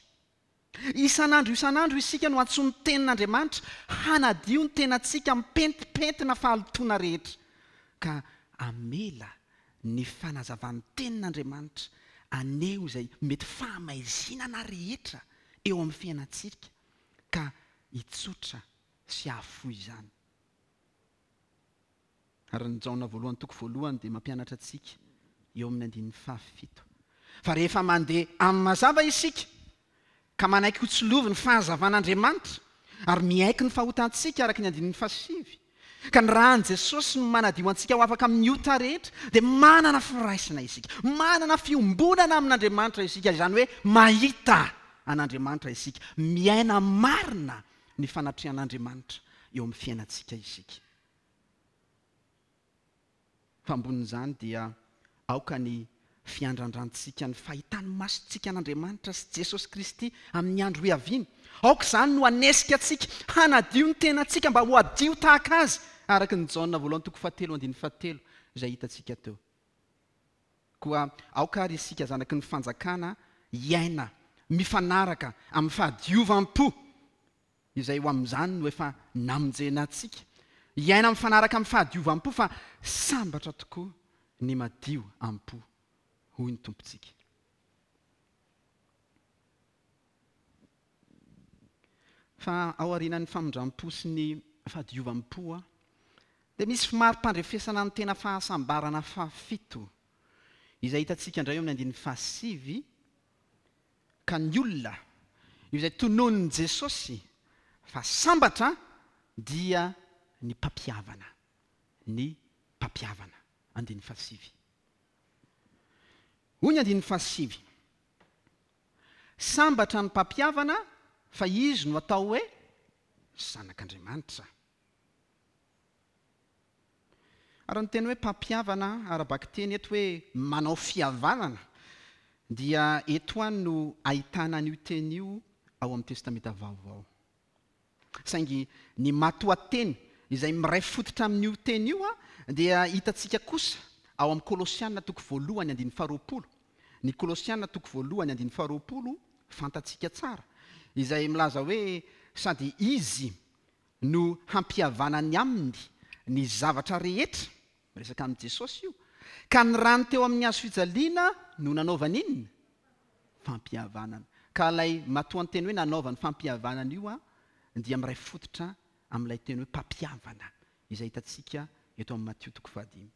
Isan'andro isan'andro isika no antsoin'ny tenin'Andriamanitra hanadio ny tenantsika amin'ny pentimpentina fahalotoana rehetra, ka hamela ny fanazavan'ny tenin'Andriamanitra haneho izay mety fahamaizinana rehetra eo amin'ny fiainantsika ka hitsotra sy hahafoy izany. Ary ny Jaona voalohany toko voalohany dia mampianatra antsika eo amin'ny andininy fahafito fa rehefa mandeha amin'ny mazava isika ka manaiky ho tsilovy ny fahazavan'Andriamanitra ary miaiky ny fahotantsika araka ny andininy fahasivy, ka ny ràn'i Jesosy no manadio antsika ho afaka amin'ny ota rehetra, dia manana firaisana isika, manana fiombonana amin'Andriamanitra isika, izany hoe mahita an'Andriamanitra isika, miaina marina ny fanatrehan'Andriamanitra eo amin'ny fiainantsika isika. Fa ambonin'izany dia aoka ny fiandrandrantsika ny fahitan'ny masontsika an'Andriamanitra sy Jesosy Kristy amin'ny andro hiaviany. Aoka izany no hanesika antsika hanadio ny tenantsika mba ho hadio tahaka azy, araka ny Jaona voalohany toko fahatelo andininy fahatelo izay hitantsika teo. Koa aoka ary isika zanaky ny fanjakana hiaina mifanaraka amin'ny fahadiovam-po izay ho amin'izany no efa namonjena antsika. Hiaina mifanaraka amin'ny fahadiovam-po fa sambatra tokoa ny madio am-po, hoy ny Tompontsika. Fa ao aorianan'ny famindram-po sy ny fahadiovam-po dia misy mari-pandrefesana ny tena fahasambarana fahafito izay hitantsika indray eo amin'ny andininy fahasivy, ka ny olona izay tononin'i Jesosy fa sambatra dia ny mpampihavana, ny mpampihavana, andininy fahasivy. Hoy ny andininy fahasivy: sambatra ny mpampihavana fa izy no atao hoe zanak'Andriamanitra. Ary ny teny hoe mpampihavana ara-bakiteny eto hoe manao fihavanana dia eto any no ahitana an'io teny io ao amin'ny Testamenta Vaovao. Saingy ny matoanteny izay miray fototra amin'io teny io a dia hitantsika kosa ao amin'ny Kolosiana toko voalohany andininy faharoapolo. Ny Kolosiana toko voalohany andininy faharoapolo fantatsika tsara, izay milaza hoe sady izy no hampihavanany aminy ny zavatra rehetra, miresaka amin'i Jesosy io, ka ny rany teo amin'ny hazo fijaliana no nanaovany inona? Fampihavanana. Ka ilay matoanteny hoe nanaovany fampihavanana io a dia miray fototra amin'ilay teny hoe mpampihavana izay hitantsika eto amin'ny Matio toko fahadimy.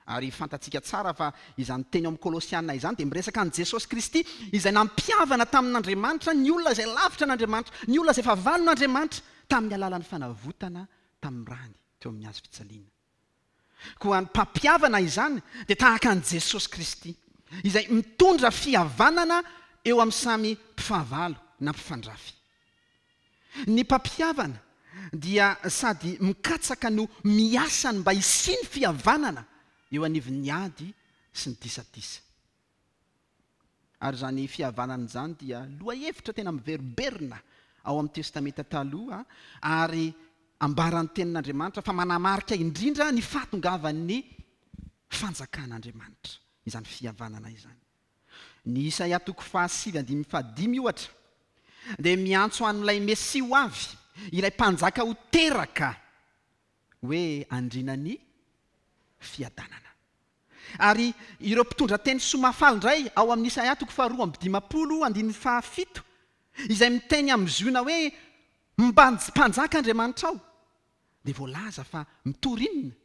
Ary fantatsika tsara fa izany teny ao amin'ny Kolosiana izany dia miresaka an'i Jesosy Kristy izay nampihavana tamin'Andriamanitra ny olona izay lavitra an'Andriamanitra, ny olona izay fahavalon'Andriamanitra tamin'ny alalan'ny fanavotana tamin'ny rany teo amin'ny hazo fijaliana. Koa ny mpampihavana izany dia tahaka an'i Jesosy Kristy izay mitondra fihavanana eo amin'ny samy mpifahavalo na mpifandrafy. Ny mpampihavana dia sady mikatsaka no miasany mba hisian'ny fihavanana eo anivon'ny ady sy ny disadisa. Ary izany fihavanana izany dia lohahevitra tena miverimberina ao amin'ny Testamenta Taloha ary ambaran'ny tenin'Andriamanitra fa manamarika indrindra ny fahatongavan'ny fanjakan'Andriamanitra izany fihavanana izany. Ny Isaia toko fahasivy andininy fahadimy ohatra dia miantso an'ilay Mesia ho avy, ilay mpanjaka ho teraka hoe andrinan'ny fiadanana. Ary ireo mpitondra teny soa mahafaly indray ao amin'ny Isaia toko faharoa amby dimampolo andininy fahafito izay miteny amin'ny Ziona hoe mpanjaka Andriamanitra ao dia voalaza fa mitory inona?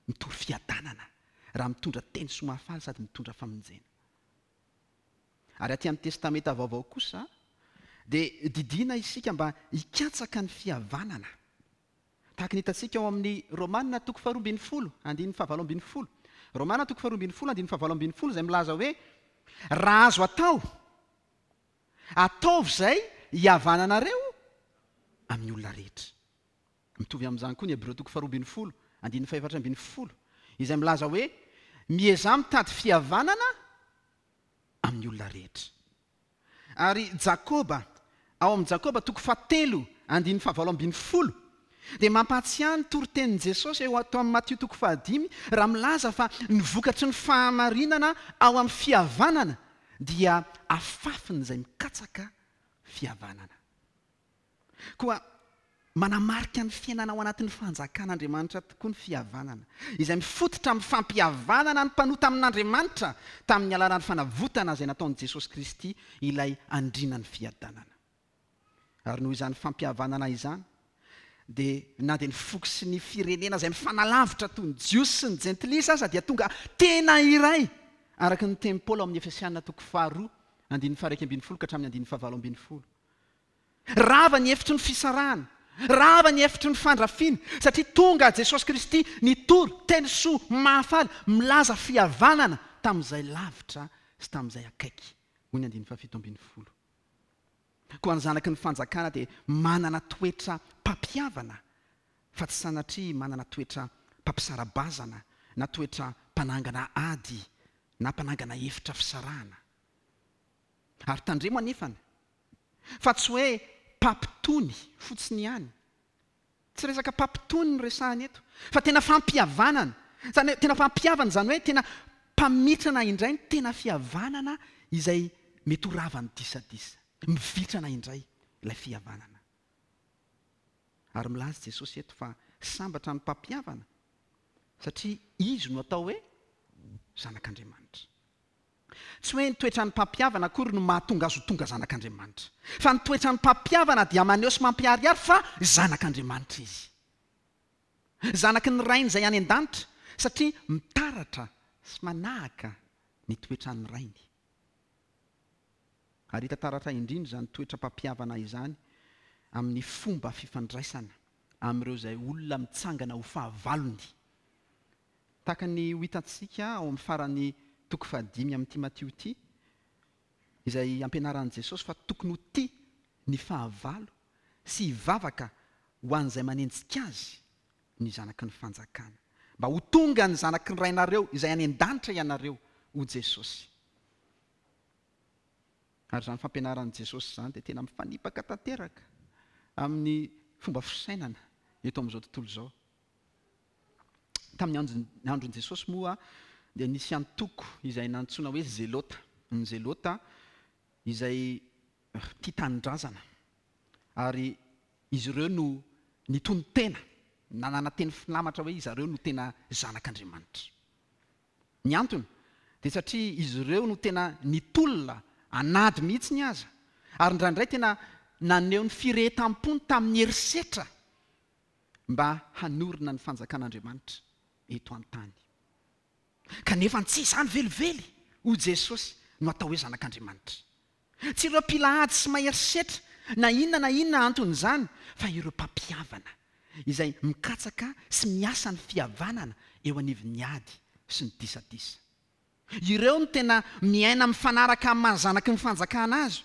Mitory fiadanana raha mitondra teny soa mahafaly sady mitondra famonjena. Ary aty amin'ny Testamenta Vaovao kosa dia didiana isika mba hikatsaka ny fihavanana. Tahaka ny hitantsika ao amin'ny Romana toko faharoa ambin'ny folo andininy fahavalo ambin'ny folo. Romana toko faharoa ambin'ny folo andininy fahavalo ambin'ny folo izay milaza hoe raha azo atao, ataovy izay hihavananareo amin'ny olona rehetra. Mitovy amin'izany koa ny Hebreo toko faharoa ambin'ny folo andininy fahefatra ambin'ny folo izay milaza hoe miezaha mitady fihavanana amin'ny olona rehetra. Ary Jakoba, ao amin'ny Jakoba toko fahatelo andininy fahavalo ambin'ny folo dia mampahatsiahy ny toritenin'i Jesosy eo ato amin'ny Matio toko fahadimy raha milaza fa ny vokatry ny fahamarinana ao amin'ny fihavanana dia afafin'izay mikatsaka fihavanana. Koa manamarika ny fiainana ao anatin'ny fanjakan'Andriamanitra tokoa ny fihavanana, izay mifototra amin'ny fampihavanana ny mpanota amin'Andriamanitra tamin'ny alalan'ny fanavotana izay nataon'i Jesosy Kristy ilay andrinan'ny fiadanana. Ary noho izany fampihavanana izany dia na dia ny foko sy ny firenena izay mifanalavitra toy ny Jiosy sy ny Jentilisa aza dia tonga tena iray araka ny tenin'i Paoly ao amin'ny Efesiana toko faharoa andininy faha-iraika ambin'ny folo ka hatramin'ny andininy fahavalo ambin'ny folo. Rava ny efitry ny fisarahana, rava ny efitry ny fandrafiana, satria tonga Jesosy Kristy nitory teny soa mahafaly milaza fihavanana tamin'izay lavitra sy tamin'izay akaiky, hoy ny andininy fahafito ambin'ny folo. Koa ny zanaky ny fanjakana dia manana toetra mpampihavana fa tsy sanatria manana toetra mpampisara-bazana na toetra mpanangana ady na mpanangana efitra fisarahana. Ary tandremo anefany fa tsy hoe mpampitony fotsiny ihany. Tsy resaka mpampitony no resahana eto fa tena fampihavanana. Zany hoe tena fampihavana, izany hoe tena mpamitrana indray ny tena fihavanana izay mety ho ravan'ny disadisa. Mivitrana indray ilay fihavanana. Ary milaza Jesosy eto fa sambatra ny mpampihavana satria izy no atao hoe zanak'Andriamanitra. Tsy hoe ny toetran'ny mpampihavana akory no mahatonga azy ho tonga zanak'Andriamanitra, fa ny toetran'ny mpampihavana dia maneho sy mampiharihary fa zanak'Andriamanitra izy. Zanaky ny Rainy izay any an-danitra satria mitaratra sy manahaka ny toetran'ny Rainy. Ary hita taratra indrindra izany toetra mpampihavana izany amin'ny fomba fifandraisana amin'ireo izay olona mitsangana ho fahavalony. Tahaka ny ho hitantsika ao amin'ny farany toko fahadimy amin'ity Matio ity, izay ampianaran'i Jesosy fa tokony ho tia ny fahavalo sy hivavaka ho an'izay manenjika azy ny zanaky ny fanjakana. Mba ho tonga ny zanaky ny Rainareo izay any an-danitra ianareo, hoy Jesosy. Ary izany fampianaran'i Jesosy izany dia tena mifanipaka tanteraka amin'ny fomba fisainana eto amin'izao tontolo izao. Tamin'ny andron-, andron'i Jesosy moa dia nisy antoko izay nantsoina hoe Zelota. Ny Zelota izay tia tanindrazana. Ary izy ireo no nitonon-tena, nanana teny filamatra hoe izy ireo no tena zanak'Andriamanitra. Ny antony dia satria izy ireo no tena nitolona anady mihitsy ny aza. Ary indraindray tena naneho ny firehetam-pony tamin'ny herisetra mba hanorina ny fanjakan'Andriamanitra eto an-tany. Kanefa tsy izany velively, hoy Jesosy, no atao hoe zanak'Andriamanitra. Tsy ireo mpila ady sy mahery setra na inona na inona anton'izany, fa ireo mpampihavana izay mikatsaka sy miasa ny fihavanana eo anivon'ny ady sy ny disadisa. Ireo no tena miaina mifanaraka amin'ny maha zanaky ny fanjakana azy,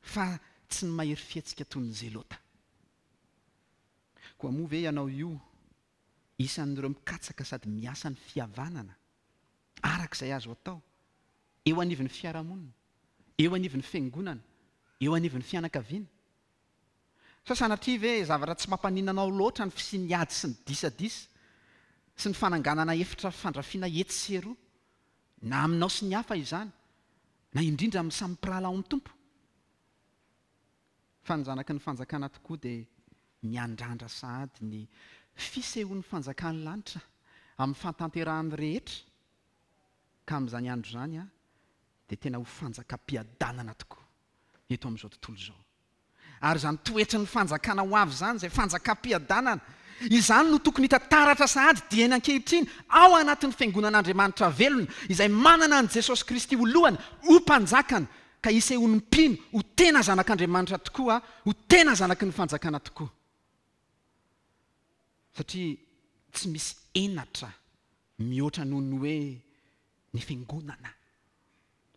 fa tsy ny mahery fihetsika toy ny Zelota. Koa moa ve ianao io isan'ireo mikatsaka sady miasa ny fihavanana araka izay azo atao eo anivon'ny fiarahamonina, eo anivon'ny fiangonana, eo anivon'ny fianakaviana? Sa sanatria ve zavatra tsy mampaninona anao loatra ny fisian'ny ady sy ny disadisa sy ny fananganana efitra fandrafiana etsy sy eroa, na aminao sy ny hafa izany, na indrindra amin'ny samy mpirahalahy ao amin'ny Tompo? Fa ny zanaky ny fanjakana tokoa dia miandrandra sahady ny fisehoan'ny fanjakan'ny lanitra amin'ny fahatanterahany rehetra, ka amin'izany andro izany a dia tena ho fanjakam-piadanana tokoa eto amin'izao tontolo izao. Ary izany toetry ny fanjakana ho avy izany, izay fanjakam-piadanana, izany no tokony hita taratra sahady dieny ankehitriny ao anatin'ny fiangonan'Andriamanitra velona, izay manana an'i Jesosy Kristy ho lohany, ho mpanjakany, ka isehoan'ny mpino ho tena zanak'Andriamanitra tokoa, ho tena zanaky ny fanjakana tokoa. Satria tsy misy henatra mihoatra noho ny hoe ny fiangonana,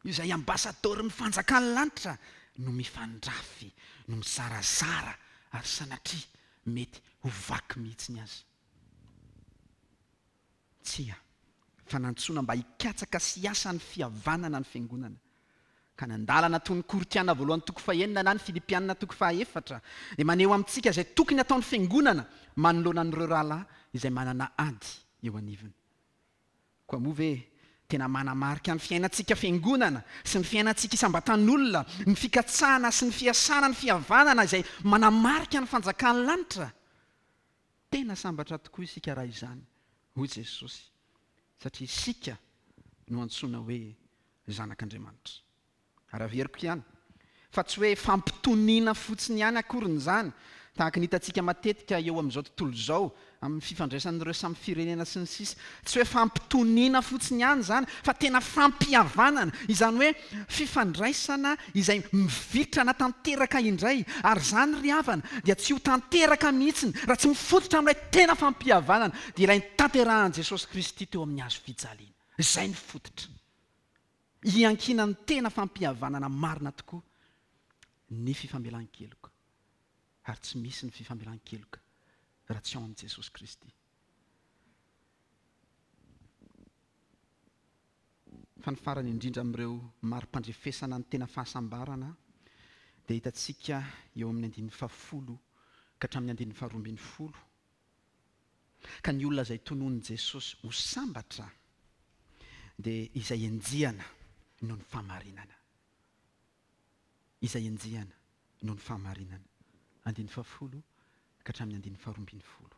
izay ambasadorin'ny fanjakan'ny lanitra, no mifandrafy, no mizarazara, ary sanatria mety ho vaky mihitsy ny azy. Tsia, fa nantsoina mba hikatsaka sy hiasa ny fihavanana ny fiangonana. Ka nandalana toy ny Korintiana voalohany toko fahenina na ny Filipiana toko fahaefatra dia maneho amintsika izay tokony ataon'ny fiangonana manoloana an'ireo rahalahy izay manana ady eo anivony. Koa moa ve tena manamarika ny fiainantsika fiangonana sy ny fiainantsika isam-batan'olona, ny fikatsahana sy ny fiasana ny fihavanana izay manamarika ny fanjakan'ny lanitra? Tena sambatra tokoa isika raha izany, hoy Jesosy, satria isika no antsoina hoe zanak'Andriamanitra. Ary averiko ihany fa tsy hoe fampitoniana fotsiny ihany akoriny izany, tahaka ny hitantsika matetika eo amin'izao tontolo izao amin'ny fifandraisan'ireo samy firenena sy ny sisa. Tsy hoe fampitoniana fotsiny ihany izany, fa tena fampihavanana, izany hoe fifandraisana izay mivitrana tanteraka indray. Ary izany ry havana dia tsy ho tanteraka mihitsiny raha tsy mifototra amin'ilay tena fampihavanana, dia ilay notanterahan'i Jesosy Kristy teo amin'ny hazo fijaliana. Izay ny fototra iankinan'ny tena fampihavanana marina tokoa ny fifamelan-keloka. Ary tsy misy ny fifamelan-keloka raha tsy ao amin'i Jesosy Kristy. Fa ny farany indrindra amin'ireo mari-pandrefesana ny tena fahasambarana dia hitantsika eo amin'ny andininy fahafolo ka hatramin'ny andininy faharoa ambin'ny folo. Ka ny olona izay tononin'i Jesosy ho sambatra dia izay enjehana noho ny fahamarinana. Izay enjehana noho ny fahamarinana. Andininy fahafolo ka hatramin'ny andininy faharoa ambin'ny folo.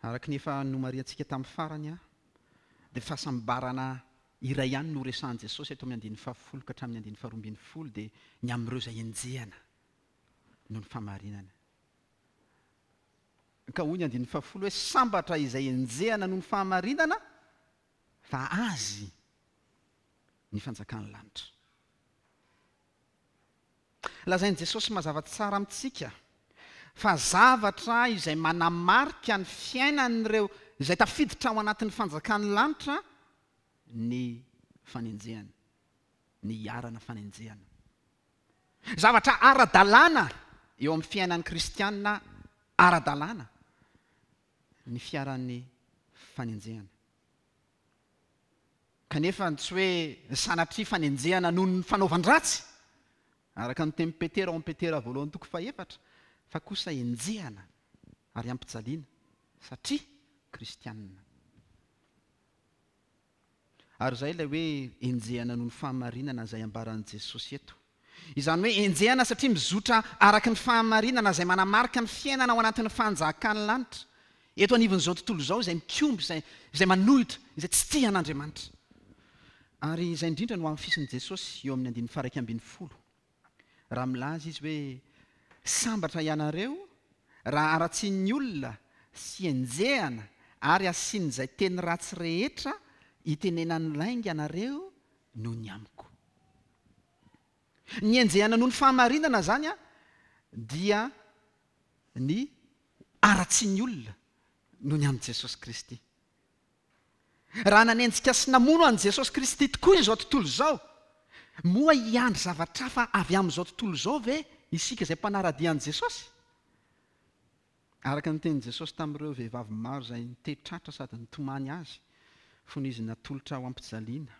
Araka ny efa nomarihantsika tamin'ny farany, dia fahasambarana iray ihany no resahan'i Jesosy eto amin'ny andininy fahafolo ka hatramin'ny andininy faharoa ambin'ny folo, dia ny amin'ireo izay enjehana noho ny fahamarinana. Ka hoy ny andininy fahafolo hoe sambatra izay enjehana noho ny fahamarinana, fa azy ny fanjakan'ny lanitra. Lazain'i Jesosy mazava tsara amintsika fa zavatra izay manamarika ny fiainan'ireo izay tafiditra ao anatin'ny fanjakan'ny lanitra ny fanenjehana, ny iharana fanenjehana. Zavatra ara-dalàna eo amin'ny fiainan'ny kristianina, ara-dalàna ny fiaran'ny fanenjehana. Kanefa tsy hoe sanatria fanenjehana noho ny fanaovan-dratsy, araka ny tenin'i Petera ao amin'ny Petera voalohany toko fahefatra, fa kosa enjehana ary ampijaliana satria kristianina. Ary izay ilay hoe enjehana noho ny fahamarinana izay ambaran'i Jesosy eto. Izany hoe enjehana satria mizotra araka ny fahamarinana izay manamarika ny fiainana ao anatin'ny fanjakan'ny lanitra eto anivon'izao tontolo izao, izay mikomby, izay, izay manohitra, izay tsy tia an'Andriamanitra. Ary izay indrindra no hamafisin'i Jesosy eo amin'ny andininy faha-iraika ambin'ny folo, raha milaza izy hoe sambatra ianareo raha haratsian'ny olona sy enjehana ary asian'izay teny ratsy rehetra itenenan'ny lainga anareo noho ny amiko. Ny enjehana noho ny fahamarinana zany a dia ny haratsian'ny olona noho ny amin'i Jesosy Kristy. Raha nanenjika sy namono an'i Jesosy Kristy tokoa izao tontolo izao, moa hiandry zavatra hafa avy amin'izao tontolo izao ve isika izay mpanara-dia an'i Jesosy? Araka ny tenin'i Jesosy tamin'ireo vehivavy maro izay nitehitratra sady nitomany azy fony izy natolotra ho ampijaliana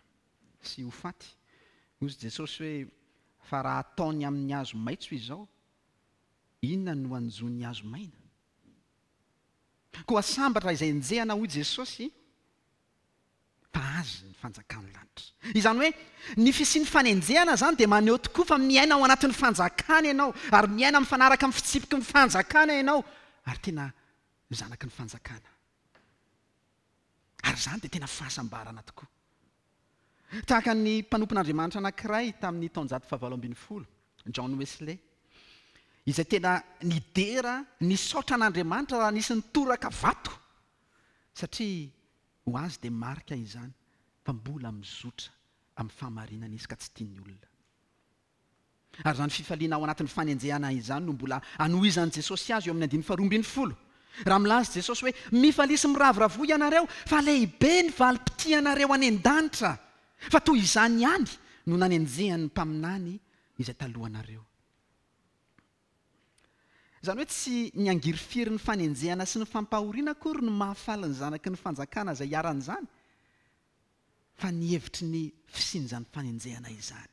sy ho faty, hoy Jesosy hoe fa raha ataony amin'ny hazo maitso izao, inona no hanjo ny hazo maina? Koa sambatra izay enjehana, hoy Jesosy, fa azy ny fanjakan'ny lanitra. Izany hoe ny fisian'ny fanenjehana zany dia maneho tokoa fa miaina ao anatin'ny fanjakana ianao, ary miaina mifanaraka amin'ny fitsipiky ny fanjakana ianao, ary tena zanaky ny fanjakana. Ary izany dia tena fahasambarana tokoa. Tahaka ny mpanompon'Andriamanitra anankiray tamin'ny taonjato fahavalo ambin'ny folo, John Wesley, izay tena nidera nisaotra an'Andriamanitra raha nisy nitoraka vato, satria ho azy dia marika izany fa mbola mizotra amin'ny fahamarinana izy ka tsy tian'ny olona. Ary izany fifaliana ao anatin'ny fanenjehana izany no mbola anohizan'i Jesosy azy eo amin'ny andininy faharoa ambin'ny folo. Raha milaza Jesosy hoe mifalia sy miravoravoa ianareo fa lehibe ny valim-pitianareo any an-danitra, fa toy izany ihany no nanenjehan'ny mpaminany izay talohanareo. Izany hoe tsy ny angirifiry ny fanenjehana sy ny fampahoriana akory no mahafaly ny zanaky ny fanjakana izay iharan'izany, fa ny hevitry ny fisian'izany fanenjehana izany.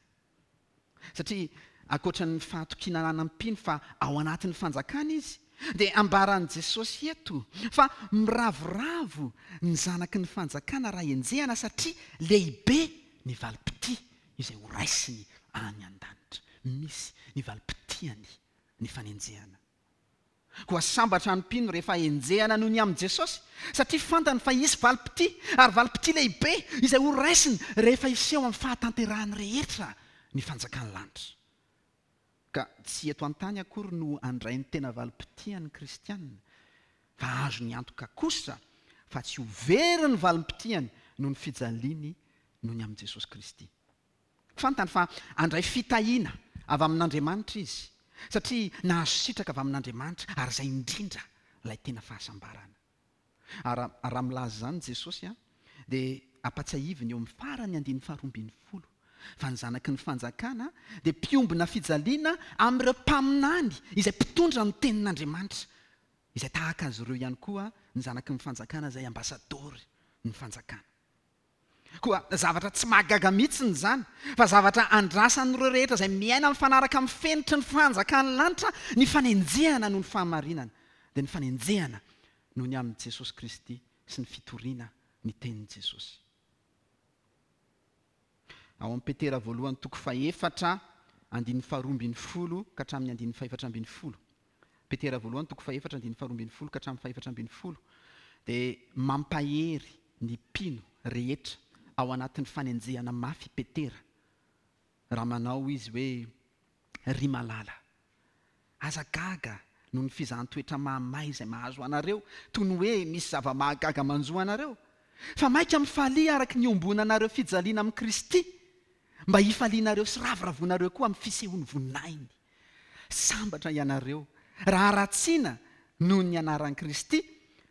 Satria ankoatra ny fahatokiana ananan'ny fa ao anatin'ny fanjakana izy, dia ambaran'i Jesosy eto fa miravoravo ny zanaky ny fanjakana raha enjehana satria lehibe ny valim-pitia izay ho raisiny any an-danitra. Misy ny valim-pitiany ny fanenjehana. Koa sambatra ny mpino rehefa enjehana noho ny amin'i Jesosy, satria fantany fa hisy valim-pitia, ary valim-pitia lehibe izay ho raisiny rehefa hiseho amin'ny fahatanterahany rehetra ny fanjakan'ny lanitra. Ka tsy eto an-tany akory no handray ny tena valim-pitian'ny kristianina, fa azo ny antoka kosa fa tsy ho very ny valim-pitiany noho ny fijaliany noho ny amin'i Jesosy Kristy. Fantany fa handray fitahiana avy amin'Andriamanitra izy, satria nahazo sitraka avy amin'Andriamanitra, ary izay indrindra ilay tena fahasambarana. Ary raha milaza izany Jesosy a, dia ampatsiahiviny eo amin'ny farany andininy faharoa ambin'ny folo fa ny zanaky ny fanjakana dia mpiombona fijaliana amin'ireo mpaminany izay mpitondra ny tenin'Andriamanitra, izay tahaka azy ireo ihany koa ny zanaky ny fanjakana izay ambasadory ny fanjakana. Koa zavatra tsy mahagaga mihitsy izany, fa zavatra andrasan'ireo rehetra izay miaina mifanaraka amin'ny fenitry ny fanjakan'ny lanitra ny fanenjehana noho ny fahamarinana, dia ny fanenjehana noho ny amin'i Jesosy Kristy sy ny fitoriana ny tenin'i Jesosy. Ao amin'ny Petera voalohany toko fahefatra andininy faharoa ambin'ny folo ka hatramin'ny andininy fahefatra ambin'ny folo. Petera voalohany toko fahefatra andininy faharoa ambin'ny folo ka hatramin'ny fahefatra ambin'ny folo dia mampahery ny mpino rehetra ao anatin'ny fanenjehana mafy Petera raha manao izy hoe ry malala, aza gaga noho ny fizahan-toetra mahamay izay mahazo anareo, toy ny hoe misy zava-mahagaga manjo anareo, fa maika mifalia araka ny iombonanareo fijaliana amin'i Kristy, mba hifalianareo sy ravoravoanareo koa amin'ny fisehoan'ny voninahiny. Sambatra ianareo raha haratsiana noho ny anaran'i Kristy,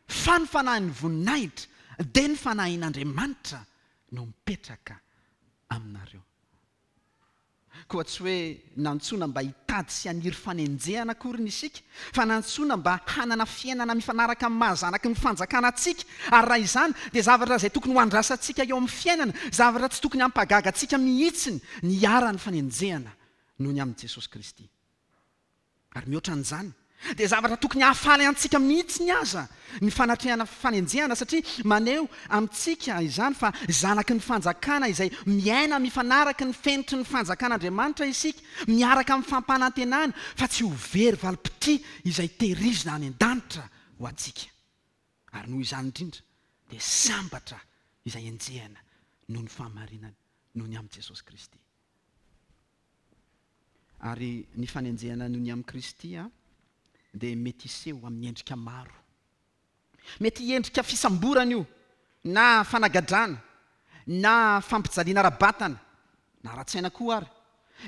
fa ny fanahin'ny voninahitra dia ny fanahin'Andriamanitra no mipetraka aminareo. Koa tsy hoe nantsoina mba hitady sy haniry fanenjehana akory ny isika, fa nantsoina mba hanana fiainana mifanaraka amin'ny maha-zanaky ny fanjakana antsika. Ary raha izany dia zavatra izay tokony ho andrasantsika eo amin'ny fiainana, zavatra tsy tokony hampagaga antsika mihitsy ny hiharan'ny fanenjehana noho ny amin'i Jesosy Kristy. Ary mihoatra an'izany dia zavatra tokony hahafaly antsika mihitsy ny aza ny fanatrehana fanenjehana, satria maneho amintsika izany fa zanaky ny fanjakana izay miaina mifanaraka ny fenitry ny fanjakan'Andriamanitra isika, miaraka amin'ny fampanantenana fa tsy ho very valim-pitia izay tehirizina any an-danitra ho antsika. Ary noho izany indrindra dia sambatra izay enjehana noho ny fahamarinana noho ny amin'i Jesosy Kristy. Ary ny fanenjehana noho ny amin'i Kristy a dia mety hiseho amin'ny endrika maro. Mety hiendrika fisamborana io, na fanagadrana, na fampijaliana ara-batana, na ara-tsaina koa ary,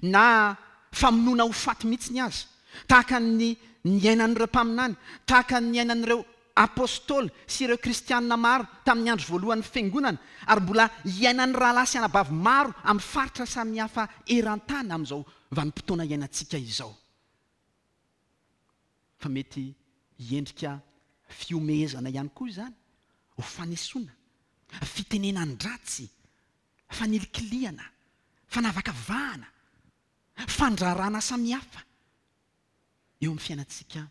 na famonoana ho faty mihitsy ny azy, tahaka ny niainan'ireo mpaminany, tahaka ny niainan'ireo apôstôly sy ireo kristianina maro tamin'ny andro voalohan'ny fiangonana, ary mbola iainan'ny rahalahy sy anabavy maro amin'ny faritra samihafa eran-tany amin'izao vanim-potoana iainantsika izao. Fa mety hiendrika fihomehezana ihany koa izany, ho fanesoana, fitenenan-dratsy, fanilikilihana, fanavakavahana, fandrarana samihafa eo amin'ny fiainantsika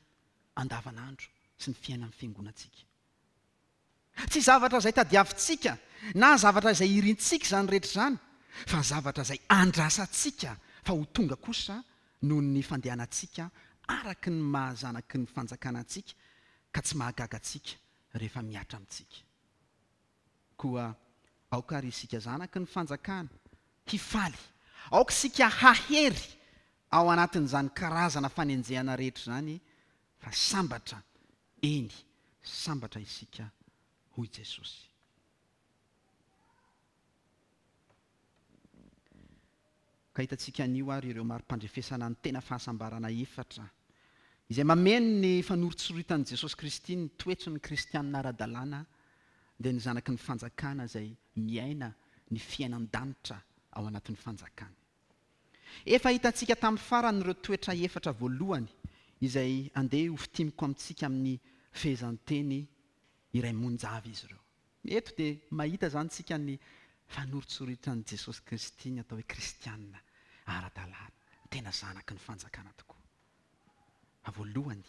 andavanandro sy ny fiainan'ny fiangonantsika. Tsy zavatra izay tadiavintsika na zavatra izay irintsika izany rehetra izany, fa zavatra izay andrasantsika fa ho tonga kosa noho ny fandehanantsika araky ny maha-zanaky ny fanjakana antsika, ka tsy mahagaga antsika rehefa mihatra amintsika. Koa aoka ary isika zanaky ny fanjakana hifaly, aoka isika hahery ao anatin'izany karazana fanenjehana rehetra izany, fa sambatra, eny, sambatra isika, hoy Jesosy. Ka hitantsika anio ary ireo mari-pandrefesana ny tena fahasambarana efatra izay mameno ny fanoritsoritan'i Jesosy Kristy ny toetry ny kristianina ara-dalàna, dia ny zanaky ny fanjakana izay miaina ny fiainan-danitra ao anatin'ny fanjakany. Efa hitantsika tamin'ny farany ireo toetra efatra voalohany izay andeha ho fintiniko amintsika amin'ny fehezanteny iray monja avy izy ireo. Eto dia mahita izany tsika ny fanoritsoritan'i Jesosy Kristy ny atao hoe kristianina ara-dalàna, tena zanaky ny fanjakana tokoa. Fa voalohany,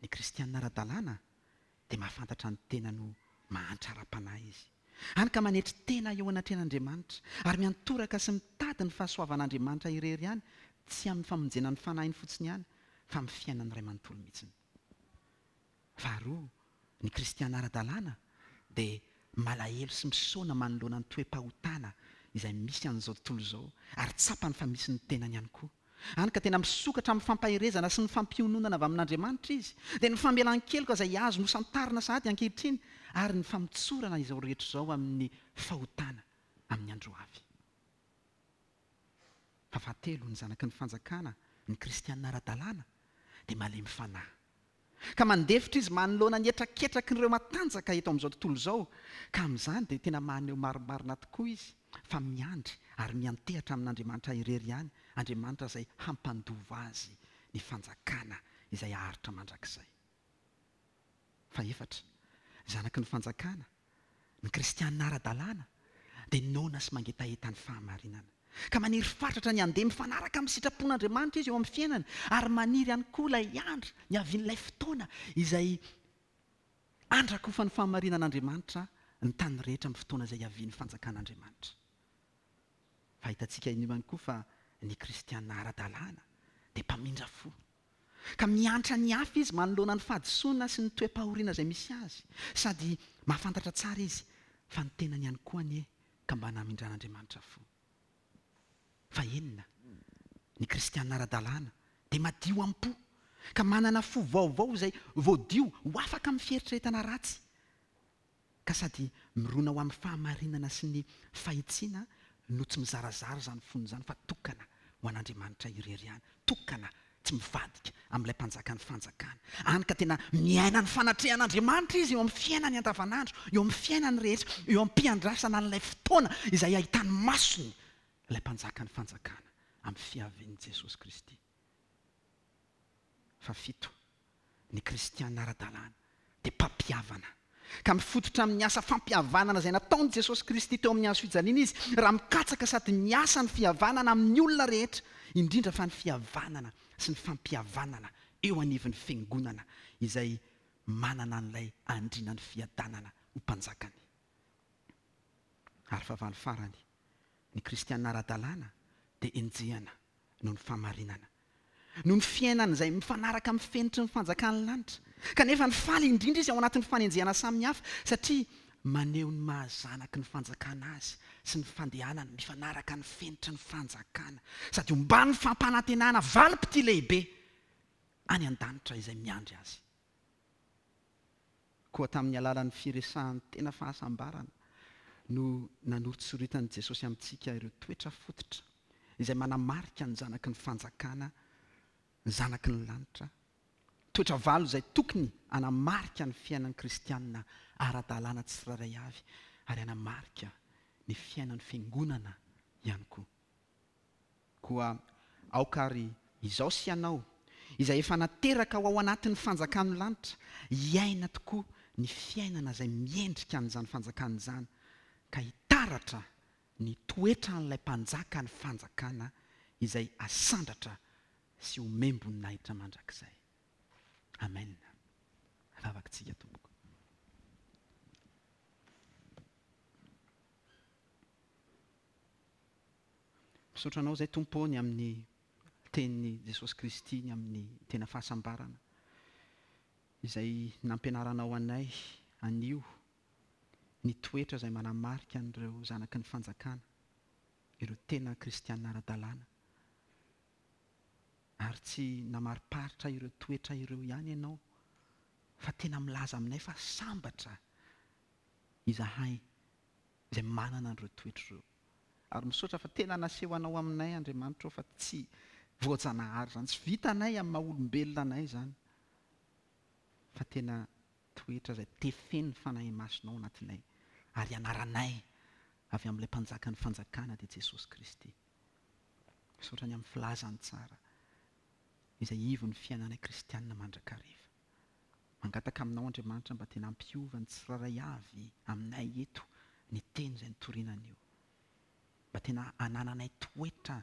ny kristianina ara-dalàna dia mahafantatra ny tenany ho mahantra ara-panahy izy. Hany ka manetry tena eo anatrehan'Andriamanitra ary miantoraka sy mitady ny fahasoavan'Andriamanitra irery ihany, tsy amin'ny famonjena ny fanahiny fotsiny ihany, fa amin'ny fiainany iray manontolo mihitsy. Faharoa, ny kristianina ara-dalàna dia malahelo sy misaona manoloana ny toe-pahotana izay misy an'izao tontolo izao, ary tsapany fa misy ny tenany ihany koa. Hany ka tena misokatra amin'ny fampaherezana sy ny fampiononana avy amin'Andriamanitra izy, dia ny famelan-keloka izay azo nosantarina sahady ankehitriny, ary ny famotsorana izao rehetra izao amin'ny fahotana amin'ny andro avy. Fa fahatelo, ny zanaky ny fanjakana, ny kristianina ara-dalàna, dia malemy fanahy. Ka mandefitra izy manoloana ny hetraketraky ireo matanjaka eto amin'izao tontolo izao, ka amin'izany dia tena maneho marimarina tokoa izy fa miandry ary miantehatra amin'Andriamanitra irery ihany, Andriamanitra izay hampandova azy ny fanjakana izay haharitra mandrakizay. Fa efatra, zanaky ny fanjakana, ny kristianina ara-dalàna dia noana sy mangetaheta ny fahamarinana. Ka maniry fatratra ny handeha mifanaraka amin'ny sitrapon'Andriamanitra izy eo amin'ny fiainany, ary maniry ihany koa ilay andro niavian'ilay fotoana izay andrakofan'ny fahamarinan'Andriamanitra ny tany rehetra amin'ny fotoana izay hiavian'ny fanjakan'Andriamanitra. Fa hitantsika iny ihany koa fa ny kristianina ara-dalàna dia mpamindra fo. Ka miantra ny hafa izy manoloana ny fahadisoana sy ny toe-pahoriana izay misy azy. Sady mahafantatra tsara izy fa ny tenany ihany koa anie ka mba namindran'Andriamanitra fo. Fa enina, ny kristianina ara-dalàna dia madio am-po, ka manana fo vaovao izay voadio ho afaka amin'ny fieritreretana ratsy, ka sady mirona ho amin'ny fahamarinana sy ny fahitsiana no tsy mizarazara izany fony izany, fa tokana ho an'Andriamanitra irery ihany, tokana tsy mivadika amin'ilay mpanjakan'ny fanjakana. Any ka tena miaina ny fanatrehan'Andriamanitra izy eo amin'ny fiainany andavanandro, eo amin'ny fiainany rehetra, eo am-piandrasana an'ilay fotoana izay ahitany masony ilay mpanjakan'ny fanjakana amin'ny fiavian'i Jesosy Kristy. Fahafito, ny kristiana ara-dalàna dia mpampihavana. Ka mifototra amin'ny asa fampihavanana izay nataon'i Jesosy Kristy teo amin'ny hazo fijaliana izy, raha mikatsaka sady miasa ny fihavanana amin'ny olona rehetra, indrindra fa ny fihavanana sy ny fampihavanana eo anivon'ny fiangonana izay manana an'ilay andriana ny fiadanana ho mpanjakany. Ary fahavalo farany, ny kristiana ara-dalàna dia enjehana noho ny fahamarinana, noho ny fiainana izay mifanaraka amin'ny fenitry ny fanjakan'ny lanitra. Kanefa ny faly indrindra izy ao anatin'ny fanenjehana samihafa, satria maneho ny mahazanaky ny fanjakana azy sy ny fandehanany mifanaraka ny fenitry ny fanjakana, sady omban'ny fampanantenana valim-pitia lehibe any an-danitra izay miandry azy. Koa tamin'ny alalan'ny firesahan'ny tena fahasambarana no nanoritsoritan'i Jesosy amintsika ireo toetra fototra izay manamarika ny zanaky ny fanjakana, ny zanaky ny lanitra. Toetra valo izay tokony hanamarika ny fiainan'ny kristianina ara-dalàna tsirairay avy, ary hanamarika ny fiainan'ny fiangonana ihany koa. Koa aoka ary izao sy ianao, izay efa nateraka ho ao anatin'ny fanjakan'ny lanitra, hiaina tokoa ny fiainana izay miendrika an'izany fanjakana izany, ka hitaratra ny toetran'ilay mpanjaka ny fanjakana izay asandratra sy omem-boninahitra mandrakizay. Amen. Vavaka-tsika tompoko. Misaotra anao izay Tompo ny amin'ny tenin'i Jesosy Kristy, ny amin'ny tena fahasambarana izay nampianaranao anay anio, ny toetra izay manamarika an'ireo zanaky ny fanjakana, ireo tena kristiana ara-dalàna. Ary tsy namariparitra ireo toetra ireo ihany ianao, fa tena milaza aminay fa sambatra izahay izay manana an'ireo toetra ireo. Ary misaotra fa tena naseho anao aminay Andriamanitra fa tsy voajanahary izany, tsy vitanay amin'ny maha olombelona anay izany, fa tena toetra izay tefen'ny Fanahy Masina ao anatinay ary anaranay avy amin'ilay mpanjakan'ny fanjakana dia Jesosy Kristy. Misaotra ny amin'ny filazany tsara izay ivon'ny fiainanay kristianina mandrakariva. Mangataka aminao Andriamanitra mba tena hampiova ny tsirairay avy aminay eto ny teny izay nitoriana anio. Mba tena hanananay toetra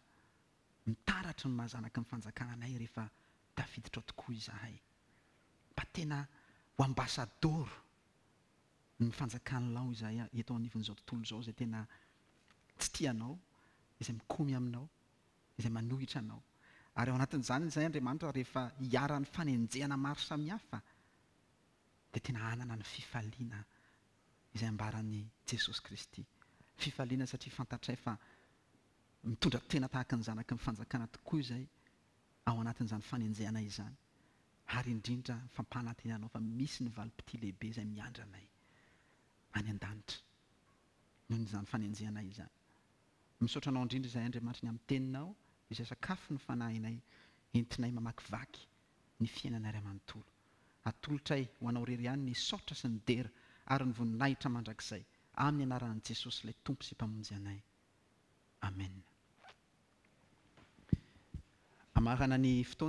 mitaratra ny mahazanaky ny fanjakana anay rehefa tafiditra ao tokoa izahay. Mba tena ho ambasadoro ny fanjakanao izahay eto anivon'izao tontolo izao izay tena tsy tianao, izay mikomy aminao, izay manohitra anao. Ary ao anatin'izany izay Andriamanitra rehefa hiharan'ny fanenjehana maro samihafa dia tena hanana ny fifaliana izay ambaran'i Jesosy Kristy. Fifaliana satria fantatray fa mitondra tena tahaka ny zanaky ny fanjakana tokoa izay ao anatin'izany fanenjehana izany. Ary indrindra fampanantenanao fa misy ny valim-pitia lehibe izay miandry anay any an-danitra noho izany fanenjehana izany. Misaotra anao indrindra izay Andriamanitra ny amin'ny teninao izay sakafo ny fanahinay entinay mamakivaky ny fiainanay ray manontolo. Atolotray ho anao irery ihany ny saotra sy ny dera ary ny voninahitra mandrakizay amin'ny anaran'i Jesosy ilay Tompo sy Mpamonjy anay. Amen. Amarana ny fotoana.